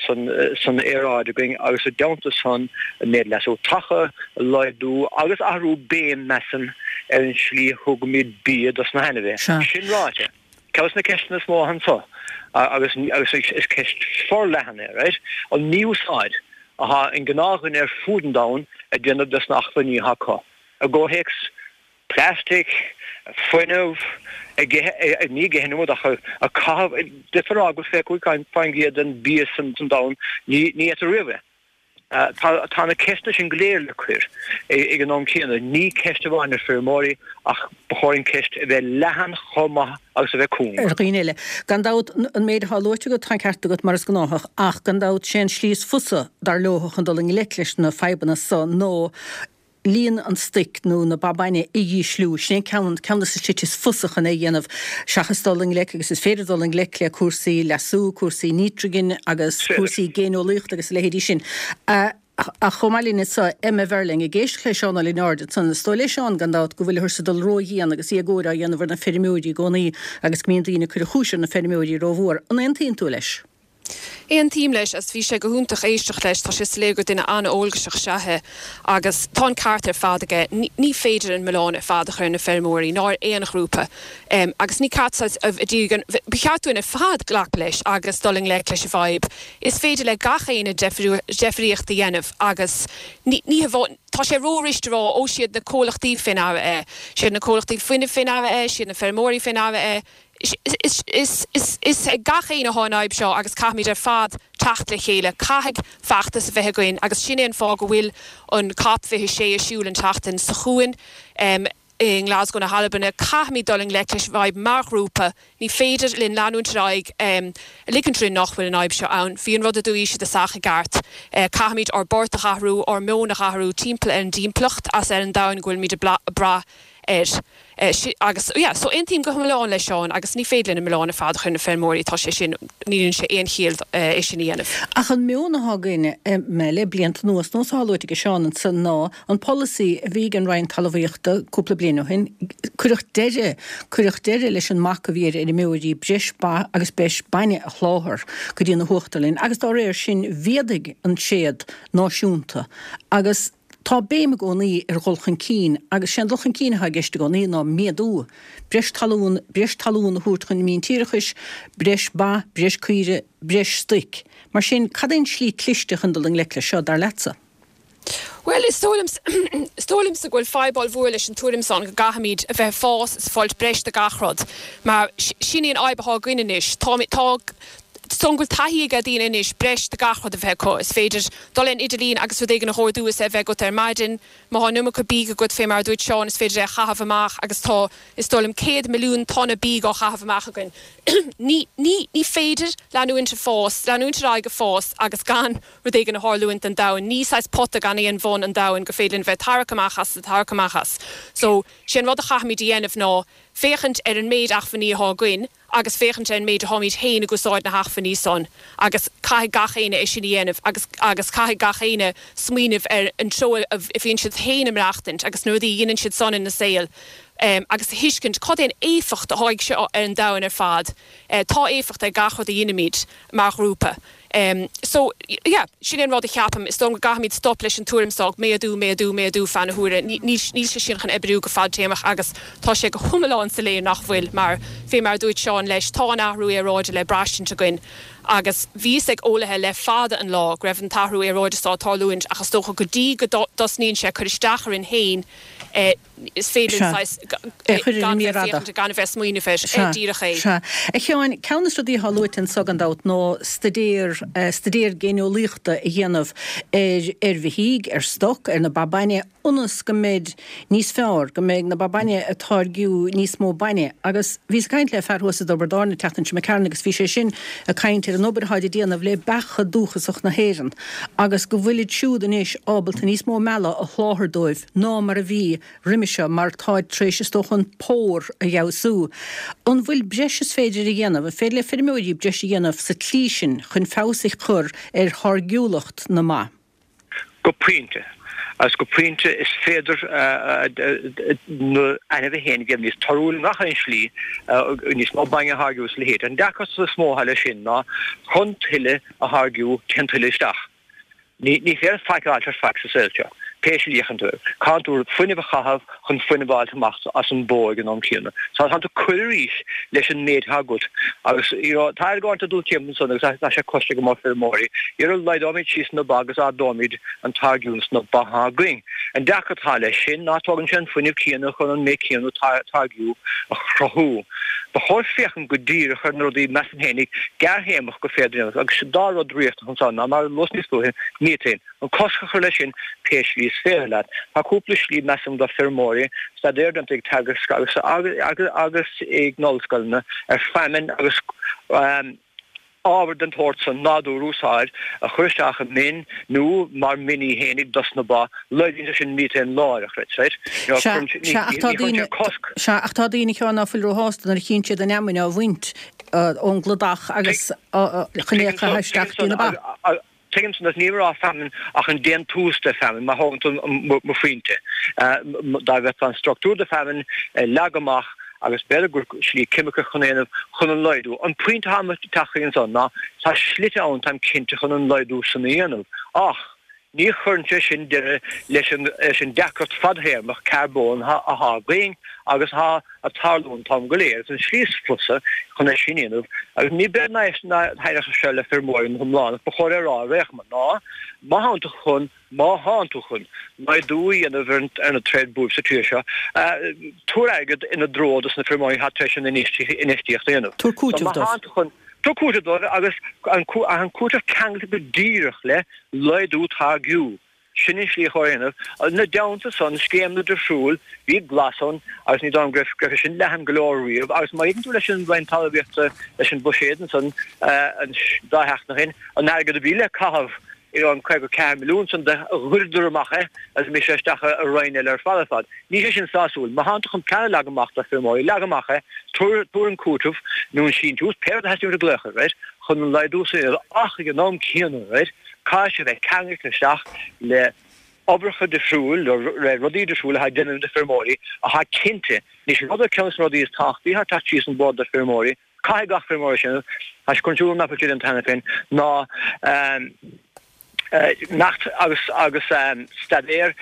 san aeráid againn agus i dteannta san an méid leasú taca a laghdú agus athrú béim measaim ar an slí a thugaimid bia dos na hainmhithe. Sin ráite. Ceann de na ceisteanna is mó anseo, agus is ceist forleathan é, right, an mí-úsáid atá an gnáthdhuine ar fud an domhain ag déanamh des na hacmhainní atá acu, i gcomhthéacs plastic, fuinneamh, ag ithe, ní ag ithe an iomad ach ag caitheamh, d'fhéadfá a rá go bhfuil 25% den bia san domhan, ní itear riamh é. Tá na ceisteanna sin go léir le cur ag an am céanna. Ní ceist amháin ar feirmeoirí ach ba chóir an ceist a bheith leathan chomh maith agus a bheith cúng. ar dhaoine eile. Gan dabht, an méid atá luaite agat, tá an ceart agat, mar is gnáthach, ach gan dabht, sé an slí is fusa, dar leo, chun dul i ngleic leis na fadhbanna so ná líon an stoic nó na ba bainne a dhísliú. Sin é ceann ceann de na slite is fusa chun é a dhéanamh seachas dul i ngleic, agus is féidir dul i ngleic le cúrsaí leasú, cúrsaí nítrigine agus cúrsaí géineolaíochta agus a leithéidí sin. Ach chomh maith linn anseo, Emma Verling, ag éisteacht le Seán Ó Lionáird ansan, is dóigh le Seán, gan dabht, go bhfuilthear ag dul ródhian agus éagóir á dhéanamh ar na feirmeoirí i gcónaí agus go mbíonn daoine ag cur an chúis ar na feirmeoirí rómhór. An aontaíonn tú leis? Aontaím leis agus bhí sé go hiontach éisteacht leis, tá sé soiléir gur duine an-eolgaiseach is ea é agus tá an ceart ar fad aige, ní féidir an milleán ar fad a chur ar na feirmeoirí ná ar aon ghrúpa agus ní ceart saghas ba cheart dúinn ar fad glacadh leis agus dul i ngleic leis an bhfadhb. Is féidir le gach éinne deifríocht a dhéanamh agus ní hamháin, tá sé ró-rist a rá ó siad na comhlachtaí fé ndeara é, siad na comhlachtaí fuinnimh fé ndeara é, siad na feirmeoirí fé ndeara é, Is ag gach éinne atá an fhadhb seo agus caithfimid ar fad teacht le chéile. Caithfidh feachtas a bheith againn agus sin é an fáth go bhfuil an Cop 26 ar siúl an tseachtain seo chugainn i nGlasgow na hAlban. Caithfimid dul i ngleic leis an bhfadhb mar ghrúpa. Ní féidir linn leanúint ar aghaidh ag ligint orainn nach bhfuil an fhadhb seo ann. Bhí an rud a dúirt siad i dtosach i gceart. Caithfimid ár bport a dh'athrú, ár meon a dh'athrú timpeall ar an dtimpeallacht as ar an domhan go bhfuilimid ag brath air. Agus, yeah, so aontaím go hiomlán le Seán agus ní féidir linn an milleán ar fad a chur ar na feirmeoirí, tá sé sin, níl sé aon chiall é sin a dhéanamh. Ach an meon atá againn le blianta anuas, nós atá luaite ag Seán ansan ná an polasaí a bhí ag an Roinn Talmhaíochta cúpla bliain ó shin, cuireadh deireadh, cuireadh deireadh leis an mbac a bhí ar fheirmeoirí breis ba agus breis bainne a sholáthar go dtí na huachtarlainn agus dá réir sin mhéadaigh an tréad náisiúnta agus Tá béim i gcónaí ar dhul chun cinn agus sé an dul chun cinn atá i gceist i gcónaí ná méadú, breis talún, breis talún a thabhairt chun míntíreachais, breis ba, breis caoire, breis stoic. Mar sin, cad é an tslí cliste chun dul i ngleic leis seo, dar leatsa? Bhuel, is dóigh liom, is dóigh liomsa go bhfuil fadhb ollmhór leis an tuairim san go gcaithfimid a bheith ag fás is ag fáilt breis de gach rud, mar sin í an fhadhb atá againn anois. Tá, tá. Is dóigh liom go bhfuil taithí ag daoine anois breis de gach rud a bheith acu. Is féidir dul ar an idirlíon agus rud éigin a dh'ordú is é a bheith agat ar maidin. Má tá an iomarca bídh agat, fé mar a dúirt Seán, is féidir é a chaitheamh amach agus tá, is dóigh liom, 100 milliún tonna bídh á chaitheamh amach againn. Ní, ní, ní féidir leanúint ag fás, leanúint ar aghaidh ag fás agus gan rud éigin a tharlúint don domhan. Ní saghas pota gan aon bhun an domhan gur féidir linn bheith ag tarrac amach as, ag tarrac amach as. So, sé an rud a chaithfimid a dhéanamh ná féachaint ar an méid achmhainní atá againn, agus féachaint ar an méid atáimid féin ag úsáid na hachmhainní san agus caithfidh gach éinne é sin a dhéanamh agus agus caithfidh gach éinne smaoineamh ar an treo a bhíonn siad féin ag maireachtaint agus na rudaí a dheineann siad san ina saol agus a thuiscint cad é an éifeacht atá ag seo ar an domhan ar fad. Tá éifeacht ag gach rud a dheinimid mar ghrúpa. So, yeah, sin é an rud a cheapaim. Is dóigh liom go gcaithfimid stop leis an tuairim seo, méadú, méadú, méadú feadh na huaire. Níl sé sin chun oibriú go fadtéarmach agus tá sé go hiomlán soiléir nach bhfuil mar, fé mar a dúirt Seán leis, tá an athrú aeráide le braistint againn agus bhí fhios ag eolaithe le fada an lá go raibh an t-athrú aeráide seo ag tarlúint ach is dócha go dtí go dtosnaíonn sé ag cur isteach orainn féin, Is féidir linn saghas É a chur ar an gan mír bheith fhada. féachaint, gan a bheith smaoineamh air. Sea, Díreach é. sea. A Sheáin, ceann de na rudaí atá luaite anso gan dabht ná staidéar, staidéar géineolaíochta a dhéanamh ar, ar bheithígh, ar stoc, ar na ba bainne, ionas go mbeidh níos fearr, go mbeidh na ba bainne ag táirgiú níos mó bainne. Agus bhíos ag caint le fear thuas i dTiobraid Árann an tseachtain seo imigh tharainn agus bhí sé sin ag caint ar an obair atá á déanamh le beacha dúchasach na hÉireann agus go bhfuilid siúd anois ábalta níos mó meala a sholáthar dóibh ná mar a bhí roimhe seo mar táid tar éis is dócha an pór a fheabhsú. An bhfuil breis is féidir a dhéanamh, an féidir le feirmeoirí breis a dhéanamh sa tslí sin chun feabhas a chur ar tháirgiúlacht na mba? Go pointe. Agus go pointe is féidir na ainmhithe féin a dhéanamh níos torthúla i ngach aon slí, níos mó bainne a tháirgiú is a leithéid. An deacracht is mó atá leis sin ná chun tuilleadh a tháirgiú téann tuilleadh isteach. Ní féidir faic a fháilt ar faic sa saol seo, pé slí a fhéachann tú air. Caitheann tú fuinneamh a chaitheamh chun fuinneamh a fháilt amach as an bhó ag an am céanna. So tá tú ag cur arís leis an méid atá agat. Agus, you know, tá argóint ag dul timpeall ansan agus tá sé cloiste ag go leor feirmeoirí. Dhera, laghdóimid síos na ba agus ardóimid an táirgiúint sna ba atá againn. An deacracht atá leis sin ná tógann sé an fuinneamh céanna chun an méid céanna táirgiú a chruthú. Ba chóir féachaint go díreach ar na rudaí, measaim féinig, gearrthéarmach gur féidir a dhéanamh agus dá rud riachtanach ansan ná, mar a luas níos luaithe, miotain, an cosc a chur leis sin pé slí is féidir leat. Tá cúpla slí, measaim, do feirmeoirí, staidéar déanta ag Teagasc agus agus ag na ollscoileanna ar feamainn agus ábhar den tsórt san, nádúr a úsáid, a chur isteach i min nó mar min í fhéinig dos na ba, laghdaíonn sé sin miotain láithreach, right, right? You know, Sea, cuireann sé, ní, sea, ach tá ní chuireann daoine, sé cosc. sea, ach tá daoine, a Sheáin, ná fuil róshásta nuair a chíonn siad an fheamainn á bhaint ón gcladach agus chun é a Tuigim chaitheamh isteach san, dtí na ba. tuigim san, agus nílim ag rá feamainn ach an déantús de feamainn, má thógann tú mo phointe. Dá bhfeicfeá an structúr de feamainn leagtha amach. Agus b'fhéidir gur slí ceimiceach chun é a dhéanamh chun an laghdú. An pointe atá ag teacht chuig ansan ná tá slite ann, táim cinnte, chun an laghdú san a dhéanamh. Ach ní chuireann sé sin deireadh leis an leis an deacracht fadthéarmach carbóin atá againn agus atá ag tarlú an t-am go léir. Agus an slí is fusa chun é sin a dhéanamh, agus ní b'fhéidir nach dtaitneodh sé seo le feirmeoirí go hiomlán ach ba chóir é a rá ar aon chuma, ná má thánn tú chun Má thánn tú chun laghdú a dhéanamh ar na tréad buaibh sa tír seo, tabhair airgead ina dtreo dos na feirmeoirí atá tar éis an infheistíocht a dhéanamh. Tabhair cúiteamh dóibh. Tabhair cúiteamh dóibh agus an cúiteamh ceangailte go díreach le laghdú táirgiú. Sin an slí chóir a dhéanamh. Ina dteannta san, scéimeanna difriúil, bhí glas ann agus ní dóigh liom go raibh sé sin leathan go leor riamh agus má fhéachann tú leis an Roinn Talmhaíochta, leis an bhuiséad ansan an dá sheachtain ó shin, an airgead a bhí le caitheamh an 54 milliún san do ghoideadar amach é agus d'imigh sé isteach i roinn eile ar fad ar fad. Níl sé sin sásúil. Má thánn tú chun plean a leagan amach do feirmeoirí, leag amach é, tabhair tabhair an cúiteamh nó an síntiús, pé rud a theastaíonn uait a ghlaoch air, right, chun an laghdú san a dhéanamh ach ag an am céanna, right, caithfidh sé bheith ceangailte isteach le oibreacha difriúil, le rudaí difriúil atá ag déanamh do feirmeoirí atá cinnte. Anois, rud ar ceann de na rudaí is tábhachtaí atá ag teacht síos an bord do feirmeoirí, Caithfidh gach feirmeoir sin, tá sé chun siúl nach bhfuil sé déanta cheana féin, ná neacht agus agus staidéar,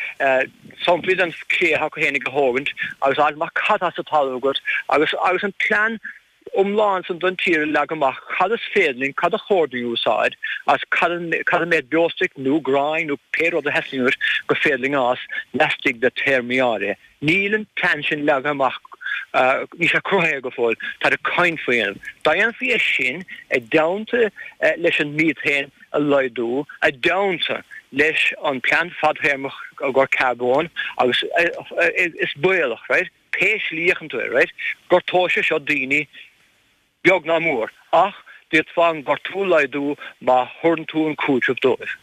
samplaí den chré atá acu féinig a thógaint agus a fháil amach cad tá sa talamh agat agus agus an plean iomlán san don tír a leagadh amach, cad is féidir linn, cad a chóir dúinn a úsáid agus cad an cad an méid beostoic nó gráin nó pé rud a theastaíonn uait gur féidir linn a fhás laistigh de théarmaí áirithe. Níl an plean sin leagtha amach, níl sé cruthaithe go fóill, táid ag caint faoi dhéanamh. Dá dhéanfaí é sin i dteannta leis an mhíotáin a laghdú, i dteannta leis an plean fadthéarmach i gcomhair carbóin agus is baolach, right, pé slí a fhéachann tú air, right, gortóidh sé seo daoine, Beag ná mór, ach d'fhéadfá an gortú a laghdú má thabharann tú an cúiteamh dóibh.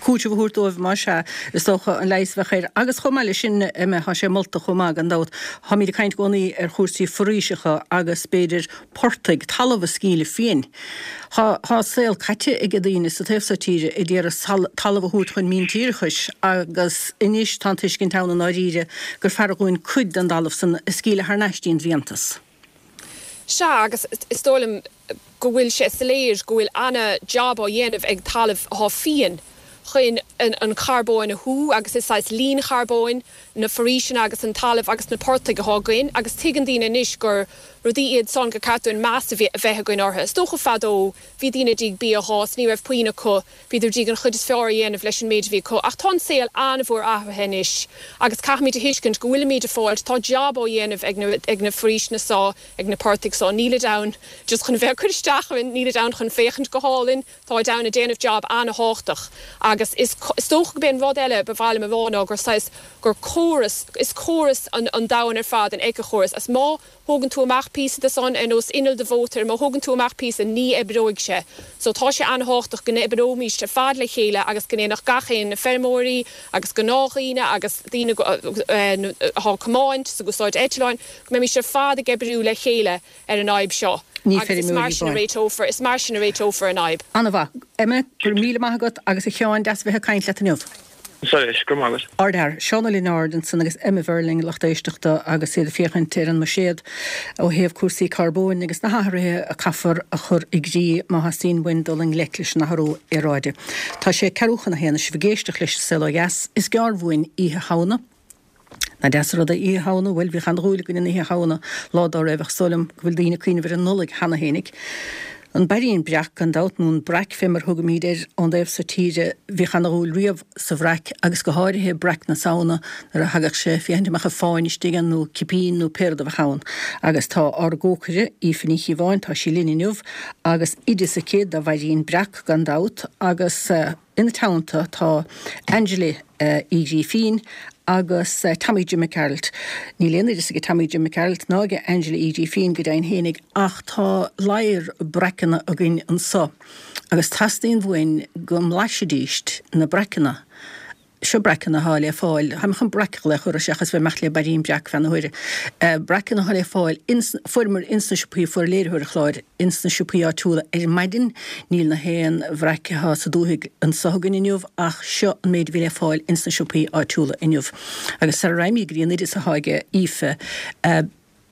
Cúiteamh a thabhairt dóibh, más ea, is dócha, an leigheas a bheadh air. Agus chomh maith leis sin, Emma, tá sé molta chomh maith, gan dabht, táimid ag caint i gcónaí ar chúrsaí foraoiseacha agus b'fhéidir portaigh, talamh a scaoileadh fiain. Tá, tá saol caite ag daoine sa taobh seo tíre ag iarraidh talamh a thabhairt chun míntíreachais agus anois tá an tuiscint ann i ndáiríre gur fearr dhúinn cuid den dtalamh san a scaoileadh thar n-ais dtí'n bhfiántas. Sea, agus is dóigh liom go bhfuil sé soiléir go bhfuil ana-jab á dhéanamh ag talamh athá fiain chun an charbóin a shú agus is saghas líon charbóin na foraoiseanna agus an talamh agus na portaigh athá againn agus tuigeann daoine anois gur rudaí iad san gur ceart dúinn meas a bheith againn orthu. Is dócha fadó bhí daoine i ndiaidh bia a dh'fhás, ní raibh puinn acu Bhíodar i ndiaidh an chuid is fearr a dhéanamh leis an méid a bhí acu. Ach tá an saol an-mhór athraithe anois agus caithfimid a thuiscint go bhfuilimid ag fáilt, tá jab á dhéanamh ag na, ag na foraoiseanna so, ag na portaigh so. Nílid ann just chun a bheith ag cur isteach orainn, nílid ann chun féachaint go hálainn, táid ann ag déanamh jab an-thábhachtach. Agus is, is dócha go b'é an rud eile ba mhaith liom a rá ná gur saghas, gur córas, is córas an, an domhan ar fad, an éiceachóras. Agus má. thógann tú amach píosa de san, ar nós inneall de mhótar, má thógann tú amach píosa, ní oibreoidh sé. So tá sé an-thábhachtach go n-oibreoimíst ar fad le chéile agus go ndéanfadh gach aon, na feirmeoirí agus gnáthdhaoine agus daoine atá ag comáint is ag úsáid eitleáin, go mbeimíst ar fad ag oibriú le chéile ar an fhadhb seo. Ní Agus is mar feirmeoirí sin a amháin. réiteofar, is mar sin a réiteofar an fhadhb. An-mhaith. Emma, go raibh míle maith agat agus a Sheáin, deas a bheith ag caint leat inniu. Arís, go raibh maith agat. Ardfhear, Seán Ó Lionáird ansan agus Emma Verling, lucht éisteachta agus iad ag féachaint ar an mbuiséad ó thaobh cúrsaí carbóin agus na hathruithe a caithfear a chur i gcrích má theastaíonn uainn dul i ngleic leis an athrú aeráide. Tá sé ceathrú chun a haon, is sibh ag éisteacht leis An Saol Ó Dheas. Is gearr uainn Oíche Shamhna. Nach deas an rud é Oíche Shamhna? Bhuel, bhíodh an-dhúil againn in Oíche Shamhna lá dá raibh, ach is dóigh liom go bhfuil daoine ag cuimhneamh ar an Nollaig cheana fhéinig. An bairín breac, gan dabht, nó an breac fé mar a thugaimíd air ón dtaobh so tíre, bhíodh ana-dhúil riamh sa bhreac agus go háirithe breac na Samhna nuair a thagadh sé, féachaint an mbeadh fáinne istigh ann nó cipín nó pé rud a bheadh ann. Agus tá ár gcócaire, Aoife Ní Chíobháin, tá sí linn inniu agus oideas aici do bhairín breac, gan dabht, agus. Ina teannta tá Angela Uí Ghrífín agus Tommy Jim Mac Gearailt. Níl aon oideas aige Tommy Jim Mac Gearailt ná aige Angela Uí Ghrífín go deimhin fhéinig ach tá ladhar breacanna againn anso agus teastaíonn uainn go mblaisfidíst na breacanna. Seo breacanna atá le fáil, táim chun breac a ghlaoch orthu seachas bheith ag imeacht le bairín breac feadh na huaire. Breacanna atá le fáil ins, fuaireamar ins na siopaí, fuair léiritheoir an chláir ins na siopaí áitiúla ar maidin. Níl na haon bhreac atá sa dúthaigh anso againn inniu ach seo an méid a bhí le fáil ins na siopaí áitiúla inniu. Agus sara raghaimid go dtí an oideas atá aige Aoife.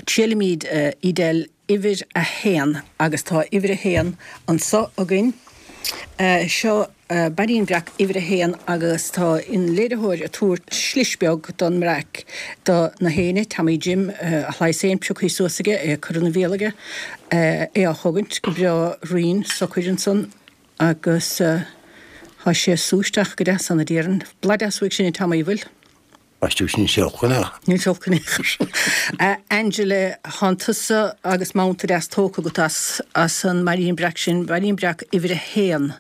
Triailfimid Edel uimhir a haon agus tá uimhir a haon anso againn. Seo Bairín Breac uimhir a haon agus tá an léiritheoir ag tabhairt slis beag don mbreac do na héinne, Tommy Jim, a shlice féin pioctha suas aige, é curtha ina bhéal aige, é á chogaint go breá righin socair ansan agus tá sé ag sú isteach go deas ann a déarfainn. Blas deas uaidh sin a Tommy, an bhfuil? Aistriú sin sé olc in aon. Níl sé olc in aon chor. A Angela, thánn tusa agus manta deas tógtha agat as as an mBairín Breac sin, Bairín Breac uimhir a haon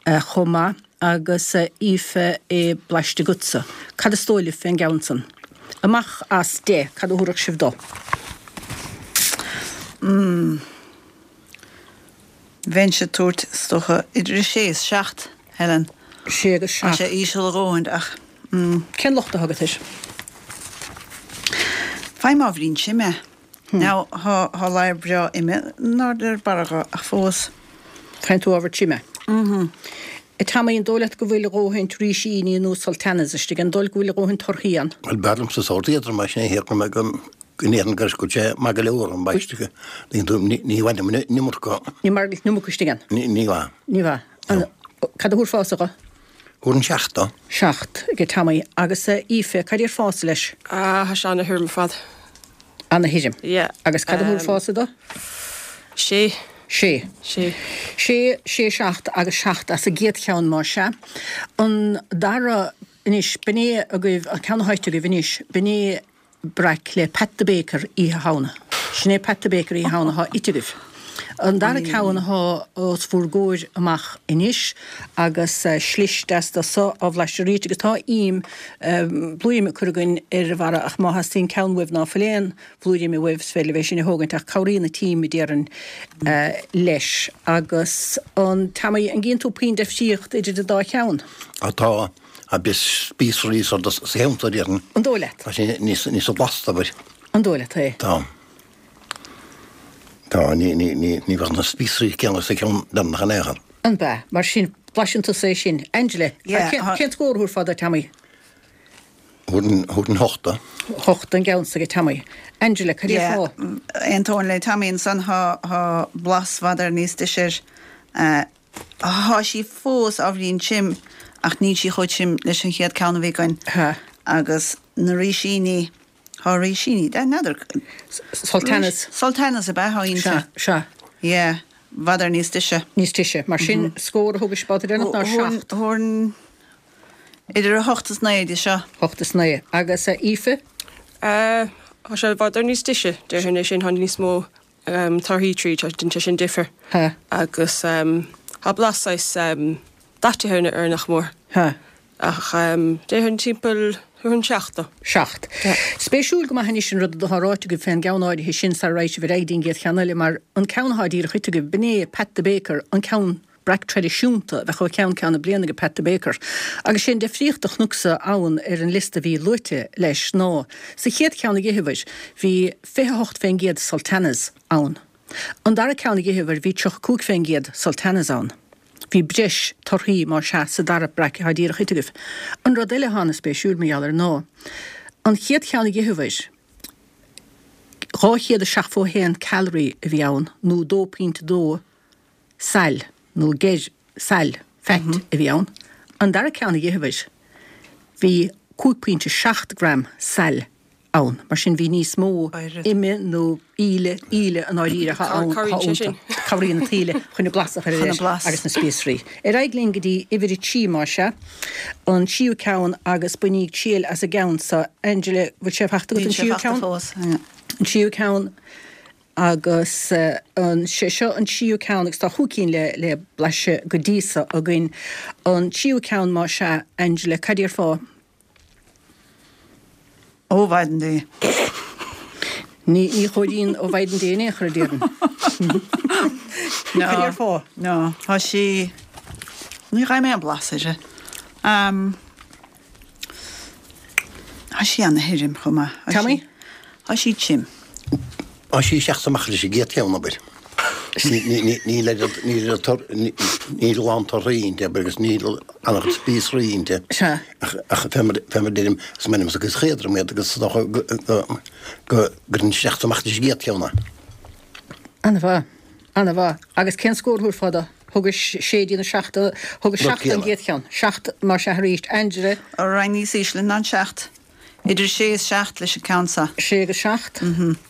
chomh maith, agus Aoife é blaiste agatsa. Cad is dóigh libh fén gceann san? Amach as deich, cad a thabharfadh sibh dó? Mm. Bheinnse ag tabhairt, is dócha, idir a sé is seacht, Helen. Sé agus Tá seacht. sé íseal a dhóthain ach, mm. Cén locht atá agat air? Faighim ábhairín tinn é. Now, thá, thá ladhar breá ime in airde ar barra dho ach fós. Faigheann tú ábhar tinn é. Mm-hmm. A Tommy, an dóigh leat go bhfuil a dhóthain rísíní nó sultanas istigh? An dóigh leat go bhfuil a dhóthain torthaí ann? Bhuel, b'fhearr liomsa sórt éadrom mar sin é, shíl mé go go ndéarfainn gur go sé maith go leor an baisteadh. Ní bhainim an iomarca. Ní maith leat an iomarca istigh ann? Ní mhaith. Ní mhaith. Cad a thabharfása dho? Thabharfainn seacht dó. 7 ag Tommy. Agus a Aoife, cad a déarfása leis? Ah, tá sé ana-thirim ar fad. Ana-thirim. Yeah. Agus cad a thabharfása dó? Sé. Sé. Sé. Sé, sé, seacht agus seacht as an gcéad cheann más ea. An dara anois, b'in é agaibh, an ceann atá ite agaibh anois, b'in é breac le Pat the Baker Oíche Shamhna. Sin é Pat the Baker Oíche Shamhna atá ite agaibh. An dara ceann atá os bhur gcomhair amach anois agus slis deas de so á bhlaiseadh arís agus tá im, blúire ime curtha againn ar an bharra ach má theastaíonn ceann uaibh ná fuil aon bhlúire ime uaibh is féidir libh é sin a thógaint ach cabhraíonn an t-im a déarfainn leis. Agus an, Tommy, an gcíonn tú puinn deifríocht idir an dá cheann? Á tá. Tá breis spíosraí sa cheann seo, déarfainn. An dóigh leat? Tá sé níos níos blasta, abair. An dóigh leat é? Tá. Tá, ní, ní, ní, ní bheadh na spíosraí céanna sa cheann deireanach in aon chor. An bea? Mar sin, blaiseann tusa é sin. Angela, Yeah, cén, tá. cén scór a thabharfá do Tommy? Thabharfainn, thabharfainn hocht dó. Hocht don gceann s'aige Tommy. Angela, cad Yeah, déarfá? aontóinn le Tommy ansan, tá, tá blas i bhfad éireann níos deise air. Eh, Thá sí fós ábhairín tirim ach níl sí chomh tirim leis an chéad ceann a bhí againn. Tá. Agus na rísíní, thá rísíní, n'fheadar. Sultanas. Sultanas ab ea thá inti. Sea, sea. Yeah, i bhfad éireann níos deise. Níos deise. Mar sin, scór a thugais babhta deireanach ná seacht. Thabharfainn idir 8 is 9 di seo. 8 is 9. Agus Aoife? Tá sé i bhfad éireann níos deise, déarfainn é sin, thá níos mó torthaí tríd, déanann sé sin difear. Agus tá blas saghas daite air nach mór. Ach déarfainn timpeall thabharfainn seacht dó. 7. Spéisiúil go maith anois an rud atá ráite agaibh fén gceann áirithe sin sara raghaidh sibh ar aghaidh dtí'n gcéad cheann eile mar an ceann atá díreach ite agaibh, b'in é Pat the Baker, an ceann breac traidisiúnta a bheadh ó cheann ceann na bliana ag Pat the Baker. Agus sé an deifríocht a chonacsa ann ar an liosta a bhí luaite leis ná sa chéad cheann a d'itheabhair bhí 28% sultanas ann. An dara ceann a d'itheabhair bhí 35% sultanas ann. Bhí breis torthaí más ea sa dara breac atá díreach ite agaibh. An rud eile atá ana-spéisiúil mar gheall air ná an chéad cheann a d'itheabhair 271 calorie a bhí ann nó 2.2 saill nó geir saill, fat, a bhí ann. An dara ceann a d'itheabhair bhí 5.7 gram saill ann. Mar sin bhí níos mó ime nó íle, íle i ndáiríre atá ann, atá iontu. Cabhraíonn an taoille chun an blas a chur air agus na spíosraí. Ar aghaidh linn go dtí uimhir a trí más ea, an tríú ceann agus bainíg triail as an gceann so. Angela, bhfuil sé fachta agat an tríú ceann? An tríú ceann. Agus an, sé seo an tríú ceann agus tá chúig cinn le, le blaiseadh go dtí so againn. An tríú ceann más ea, Angela, cad déarfá? Ó mhaighdean Dé. Ní, ní chomhairíonn ó mhaighdean Dé in aon chor, a déarfainn. No. Cad déarfá? No, tá sí, ní gheibhim aon blas uirthi. Tá sí ana-thirim chomh maith. Tommy? Tá sí tirim. Tá sí ag teacht amach leis an gcéad cheann, abair. Níl níl a lán torthaí inti agus níl an-chuid spíosraí inti. Sea. Ach fé mar a deirim, is maith liomsa is éadrom iad agus is dócha go gcuireann isteach is amach leis an gcéad cheann é. An-mhaith. An-mhaith. Agus cén scór a thabharfá dó? Thugais sé dtí na seacht, thugais seacht don gcéad cheann. Seacht mar sea arís. Angela? Roinnt níos ísle ná an seacht. Idir sé is seacht leis an ceann seo. Sé agus seacht.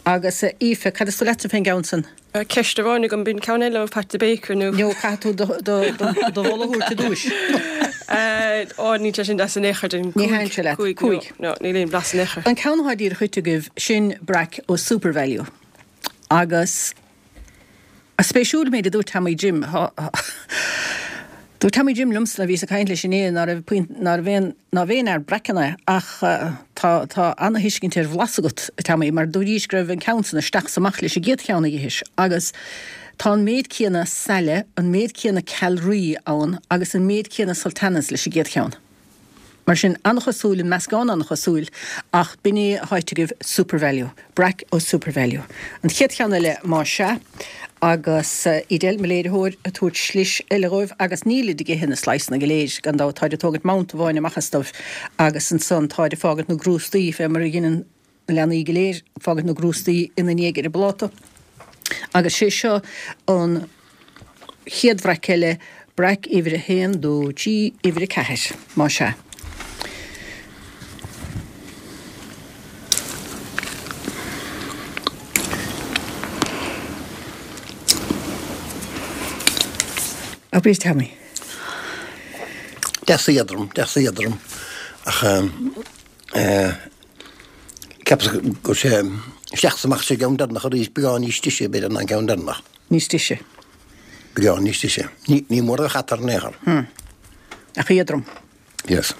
Agus Aoife, cad is dóigh leatsa fén gceann san? Ceist amháin agam, b'in ceann eile ó Pat the Baker nó? No, caithfidh tú do do mholadh a thabhairt i dtúis. Ó, níl sé sin deas in aon chor, Ní thaitníonn sé leat. Cúig. No, níl aon bhlas in aon chor. An ceann atá díreach ite agaibh, sin breac ó Supervalu. Agus spéisiúil an méid a dúirt Tommy Jim. Dúirt Tommy Jim liomsa nuair a bhíos ag caint leis inné ná raibh punt, ná raibh aon, nárbh aon fhear breacanna é ach tá, tá ana-thuiscint ar bhlas agat, a Tommy, mar dúraís go raibh an ceann san isteach 's amach leis an gcéad cheann a dh'ithis agus tá an méid céanna saille, an méid céanna calraí ann agus an méid céanna sultanas leis an gcéad cheann. Mar sin, an-chosúil, an meascán an-chosúil, ach b'in é atá ite agaibh, Supervalu, breac ó Supervalu. An chéad cheann eile, más ea, agus Edel, mo léiritheoir, ag tabhairt slis eile dhóibh, agus nílid ag ithe na sliceanna go léir, gan dabht, táid ag tógaint mount amháin amach astu, agus ansan táid ag fágaint na gcrústaí, fé mar a dheineann na leanaí go léir, fágaint na gcrústaí ina ndiaidh ar an bpláta. Agus sé seo an chéad bhreac eile, breac uimhir a haon, dó, trí, uimhir a ceathair, más ea. Abair, Tommy. Deas éadrom, deas éadrom, ach eh, Ceapas go raibh sé isteach is amach sa gceann deireanach arís, beagán níos deise b'fhéidir ná an ceann deireanach. Níos deise. Beagán níos deise. Ní, ní mór a bheadh eatarthu in aon chor. Hmm. Ach éadrom. Yes.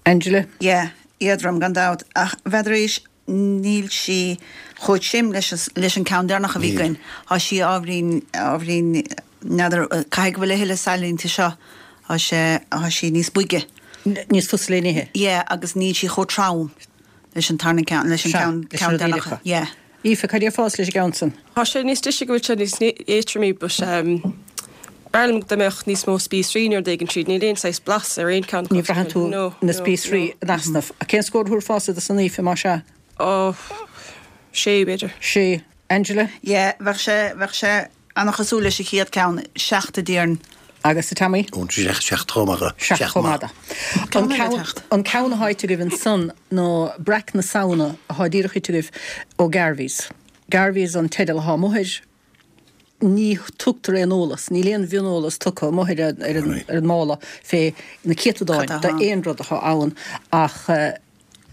Angela? Yeah, éadrom gan dabht, ach b'fhéidir arís níl sí chomh tirim leis, leis an ceann deireanach a bhí againn. Tá sí ábhairín, ábhairín, n'fheadar, caithfidh go bhfuil a thuilleadh saille inti seo. Tá sé, tá sí níos boige. Níos fusa le n-ithe. Yeah, agus níl sí chomh trom leis an tarna ceann, leis an ceann, ceann deireanach. Yeah. Aoife, cad déarfása leis an gceann san? Tá sé níos deise go bhfuil sé níos éadroime but ehm b'fhearr liom dá mbeadh níos mó spíosraí nó rud éigin tríd. Níl aon saghas blas ar aon ceann acu. Ní bhraitheann tú na spíosraí in easnamh. Cén scór a thabharfása do san Aoife, más ea? Oh, sé b'fhéidir. Sé. Angela? Yeah, bheadh sé, bheadh sé An-chosúil leis an chéad ceann, seacht a déarfainn. Agus a Tommy? Ón seacht chomh maith. Seacht chomh maith. An ceann, an ceann atá ite agaibh ansan ná Breac na Samhna atá díreach ite agaibh ó Garveys. Garveys an teideal atá amuigh air. Ní tugtar aon eolas, níl aon mhioneolas tugtha amuigh ar an, ar an mála fé na céatadáin d'aon rud atá ann ach,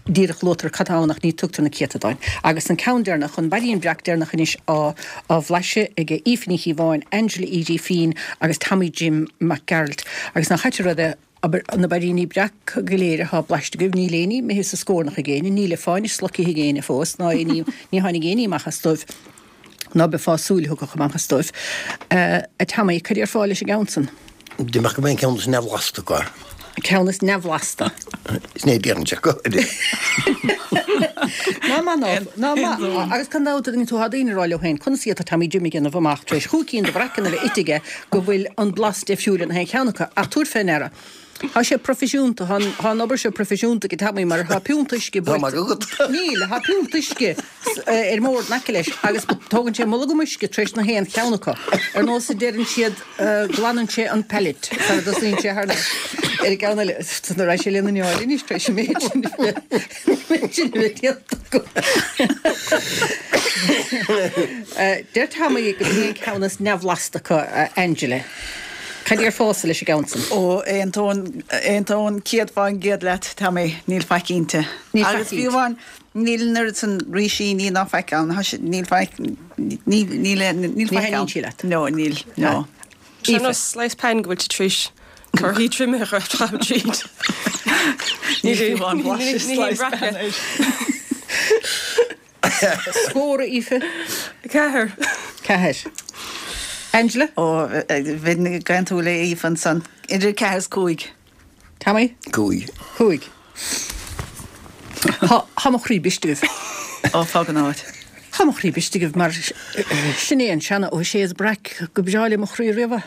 díreach luaitear cad tá ann ach ní tugtar na céatadáin. Agus an ceann deireanach, an bairín breac deireanach anois á á bhlaiseadh ag Aoife Ní Chíobháin, Angela Edie Feen agus Tommy Jim Mac Gearailt. Agus nach ait an rud é, abair, na bairíní breac go léir atá blaiste agaibh, níl éinní imithe sa scornach ag éinne, níl fáinne slocaithe ag éinne fós, ná éinní, ní tháinig éinní amach as dóibh. Ná beifeá súil a thiocfadh amach as dóibh. A Tommy, cad déarfá leis an gceann san? Déarfainn gurb é an ceann is neamhbhlasta acu. An ceann is neamhbhlasta. Sin é a déarfainnse go háirithe. Ná maith ná, ná maith. Agus gan dabht, an tú, tá daoine ag rá leo féin, conas a d'fhéadfadh Tommy Jim a dhéanamh amach tar éis chúig cinn de bhreacanna a bheith ite aige go bhfuil an blas difriúil in aon cheann acu. Ach tabhair fé ndeara, tá sé proifisiúnta, tá an, tá an obair seo proifisiúnta ag Tommy mar tá piúnta uisce Tá maith agat. Níl, tá piúnta uisce ar an mbord in aice leis agus tógann sé mulgam uisce tar éis na haon cheann acu. Ar nós a deireann siad, glanann sé an palate sara dtosaíonn sé thar n-ais ar an gceann eile. Nuair a sé lena neáil anois tar éis an méid sin a bheith méid sin a bheith déanta acu. Deir Tommy gurb é an ceann is neamhbhlasta acu, Angela. Cad déarfása leis an gceann san? Ó, aontóinn, aontóinn 100% leat, Tommy, níl faic inti. Níl faic Agus fiú amháin, Níl an oiread san rísíní ná faic ann, tá sé, níl faic, níl, níl, níl faic ann. Ní thaitníonn sí leat? No, níl, no. Sé nós slice pan go bhfuil tú tar éis torthaí triomaithe a chaitheamh tríd. Níl fiú amháin blaiseadh slice pan air. Scór, a Aoife? 4. 4. Angela? Ó, bheinn ag aontú le Aoife ansan. Idir 4 is 5. Tommy? 5. 5. Tá, tá mo chroí briste agaibh. Ó, fág an áit. Tá mo chroí briste agaibh mar sin é an seana O'Shea's breac go breá le mo chroí riamh.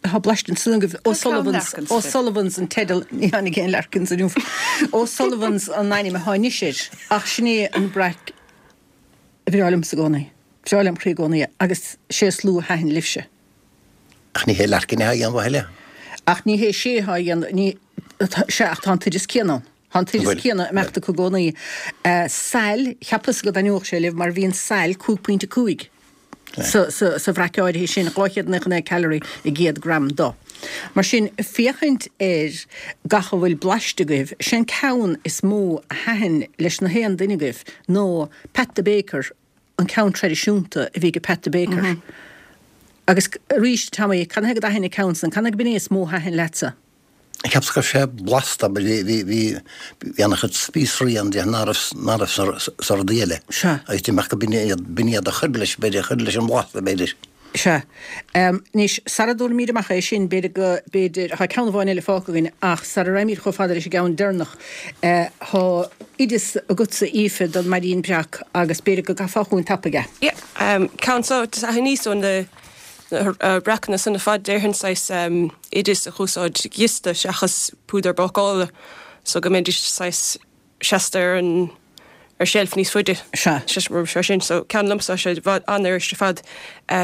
Tá blaiste ansan agaibh. O'Sullivan's, O'Sullivan's an teideal, ní tháinig aon Larkins inniu. O'Sullivan's an ainm atá anois air ach sin é an breac a bhreá liomsa i gcónaí. Breá lem chroí i gcónaí é agus sé is lú a thaitin libhse. Ach ní hé Larkin atá á dhéanamh a thuilleadh. Ach ní hé sé atá á dhéanamh, ní, sea ach tá an t-oideas céanna ann. Tá an t-oideas céanna ag imeacht acu i gcónaí. Sail, cheapas go dtaitneodh sé libh mar bhíonn sail 5.5 sa bhreac áirithe sin, 299 calorie i gcéad gram do. Mar sin, féachaint ar gach a bhfuil blaiste agaibh, sé'n ceann is mó a thaitin leis na haon duine agaibh nó Pat the Baker, an ceann traidisiúnta a bhí ag Pat the Baker. Agus arís, Tommy, cad é go dtaithin an ceann san? Cad é go b'in é is mó a thaitin leatsa? Cheapas go raibh sé blasta, but bhí, bhí, bhí, bhí an-chuid spíosraí ann de ná raibh, ná raibh sa, sa rudaí eile. Sea. Agus d'imigh go b'in iad, b'in iad a chuir leis, b'fhéidir, a chuir leis an bhlas, b'fhéidir. Sea. Anois, sara dtabharfaimid amach é sin, b'fhéidir go, b'fhéidir, tá ceann amháin eile fágtha againn ach sara raghaimid chomh fada leis an gceann deireanach, tá oideas agatsa, Aoife, don mBairín Breac agus b'fhéidir go gcaithfeá chugainn tapaidh é. Yeah. Ceann so, aithníos ó na, na breacanna san ar fad, déarfainn saghas oideas a dh'úsáid giosta seachas púdar bácála so go mbeidís saghas seasta ar an ar seilf níos faide. Sea. Sé sin. So ceann liomsa tá sé i bhfad an-fhuirist ar fad.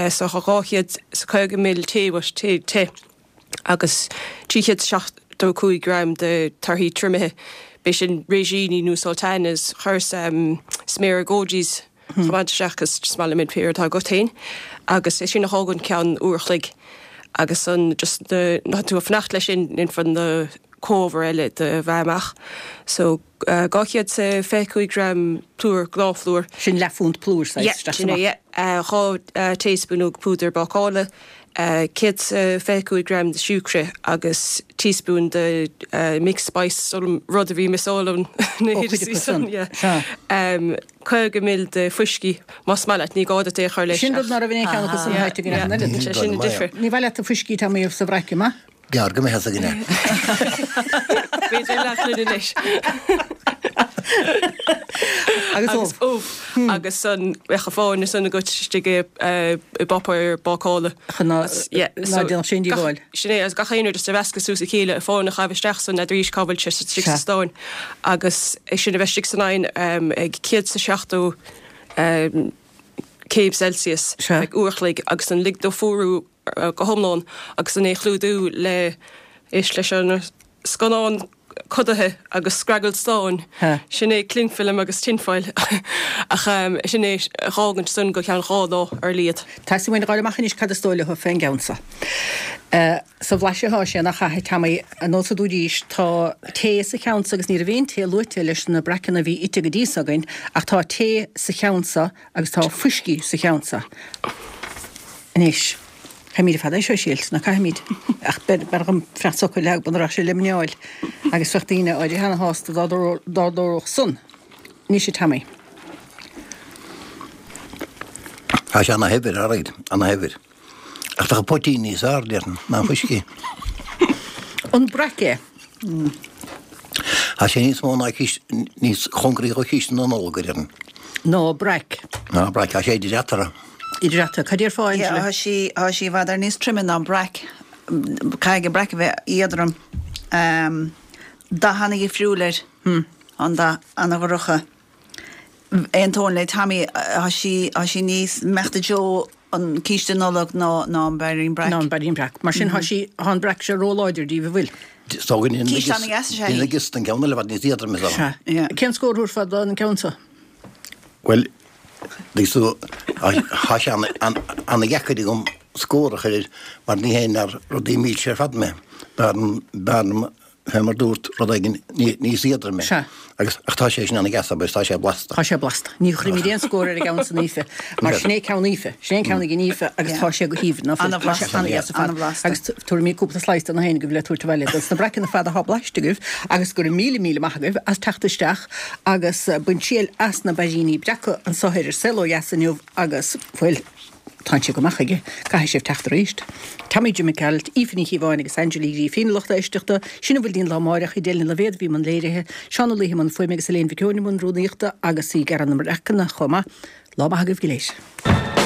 So tá 250 ml tae, bhuel tae te agus 375 gram de torthaí triomaithe. B'é sin réisíní nó sultanas, chuireas sméara gojies chomh maith isteach is just maith liom iad pé rud atá agat féin agus é sin a thógaint ceann uair a chloig agus an just na ná tú ag fanacht leis sin déanfar na comhábhair eile do mheá amach. So 225 gram plúr, gnáthphlúr. Sin leathphunt plúir saghas Yeah, isteach sin é, yeah. 2 taespúnóg púdar bácála, 125 gram de siúcra agus teaspoon de mixed spice, rud a bhí miosáil ann na Ó, cuid acu san, yeah. sea. 50 ml de fuiscí, más maith leat, ní gá duit é a chur leis Sin rud ná raibh in aon cheann acu san Yeah, yeah, sé sin an difear. Ní mhaith leat an fuiscí Tommy sa bhraic, an maith? Gearr go mbeidh fhios againn é. B'fhéidir leathghloine anois. Agus ubh. Agus ubh. Agus an bheadh an fáinne san agat istigh i bpáipéar bácála. Chun ná déanfadh sé aon díobháil. Sin é, agus gach aon rud just a mheascadh suas a chéile, an fáinne a chaitheamh isteach san n'fheadar cá bhfuil sé istigh sa stán agus é sin a bheith istigh san oigheann ag 170 céim Celsius ag uair a chloig agus an lig dó fuarú go hiomlán agus an é a chlúdú le, éist leis an scannán codaithe agus scragall stáin, sin é cling film agus tinfoil ach sin é a dh'fhágaint san go ceann 2 lá ar a laghad. Teastaíonn uainn a dh'fháil amach anois cad is dóigh leo fén gceann so. Sa bhlaiseadh atá sé nach ea, Tommy, ar nós a dúraís, tá tae sa cheann so agus ní raibh aon tae luaite leis na breacanna a bhí ite go dtí so againn ach tá tae sa cheann so agus tá fuiscí sa cheann so. Anois, caithfimid ar fad é seo a thriailt, ná caithfimid? Ach b'fhearr dhom fanacht socair leath muna raibh sé le muineál agus bheadh daoine áirithe ana-shásta dá dtarlódh san. Anois, a Tommy. Tá sé ana-shaibhir, alright, ana-shaibhir. Ach tá an poitín níos fearr, déarfainn, ná an fuiscí. An breac é? Tá sé níos mó ná císte, níos cóngaraí do chíste na Nollag, a déarfainn. Ná breac. Ná breac, tá sé idir eatarthu. Idir eatarthu. Cad déarfá, Angela? Tá sí, tá sí i bhfad ar níos troime ná an breac. Caithfidh an breac a bheith éadrom. Dath ana-dhifriúil air. An dath ana-dhorcha. Aontóinn le Tommy, tá sí, tá sí níos meachta deo an císte Nollag ná ná an bairín breac. Ná an bairín breac. Mar sin tá sí, tá an breac seo róláidir díbh, an bhfuil? Is dóigh go ndéanann Císte ana-dheas is ea í. giosta an ceann eile i bhfad níos éadroime is dócha. Sea. Cén scór a thabharfá don ceann seo? Bhuel, tuigeann tú, tá sé ana-dheacair agam scór a chur air mar ní théann ar rudaí milse ar fad mé. B'fhearr liom fé mar dúrt, rud éigin níos éadroime. Sea. Agus, ach tá sé sin ana-dheas agus tá sé blasta. Tá sé blasta. Ní chuirfimid aon scór ar an gceann san Aoife, mar sin é ceann Aoife. Sin é an ceann ag an Aoife agus tá sé go haoibhinn, ná fuil? Tá sé ana-dheas ar fad. An-bhlasta. Agus tabharfaimid cúpla slice do na héinne agaibh le tabhairt abhaile dos na breacanna ar fad atá blaiste agaibh agus go raibh míle míle maith agaibh as teacht isteach agus baint triail as na bairíní breaca anso ar An Saol Ó Dheas inniu agus, bhuel. Tánn sé go maith chuige. Caithfidh sibh teacht arís. Tommy Jim Mac Gearailt, Aoife Ní Chíobháin agus Angela Uí Ghrífín, a lucht éisteachta. Sin a bhfuil dínn lá amáireach, Edel Ní Loibhéad a bhí i mbun léirithe, Seán Ó Laoithe i mbun fuaime agus Elaine Mhic Eoin i mbun rúnaíochta agus í ag gearradh na mbreacanna chomh maith. Lá maith agaibh go léir.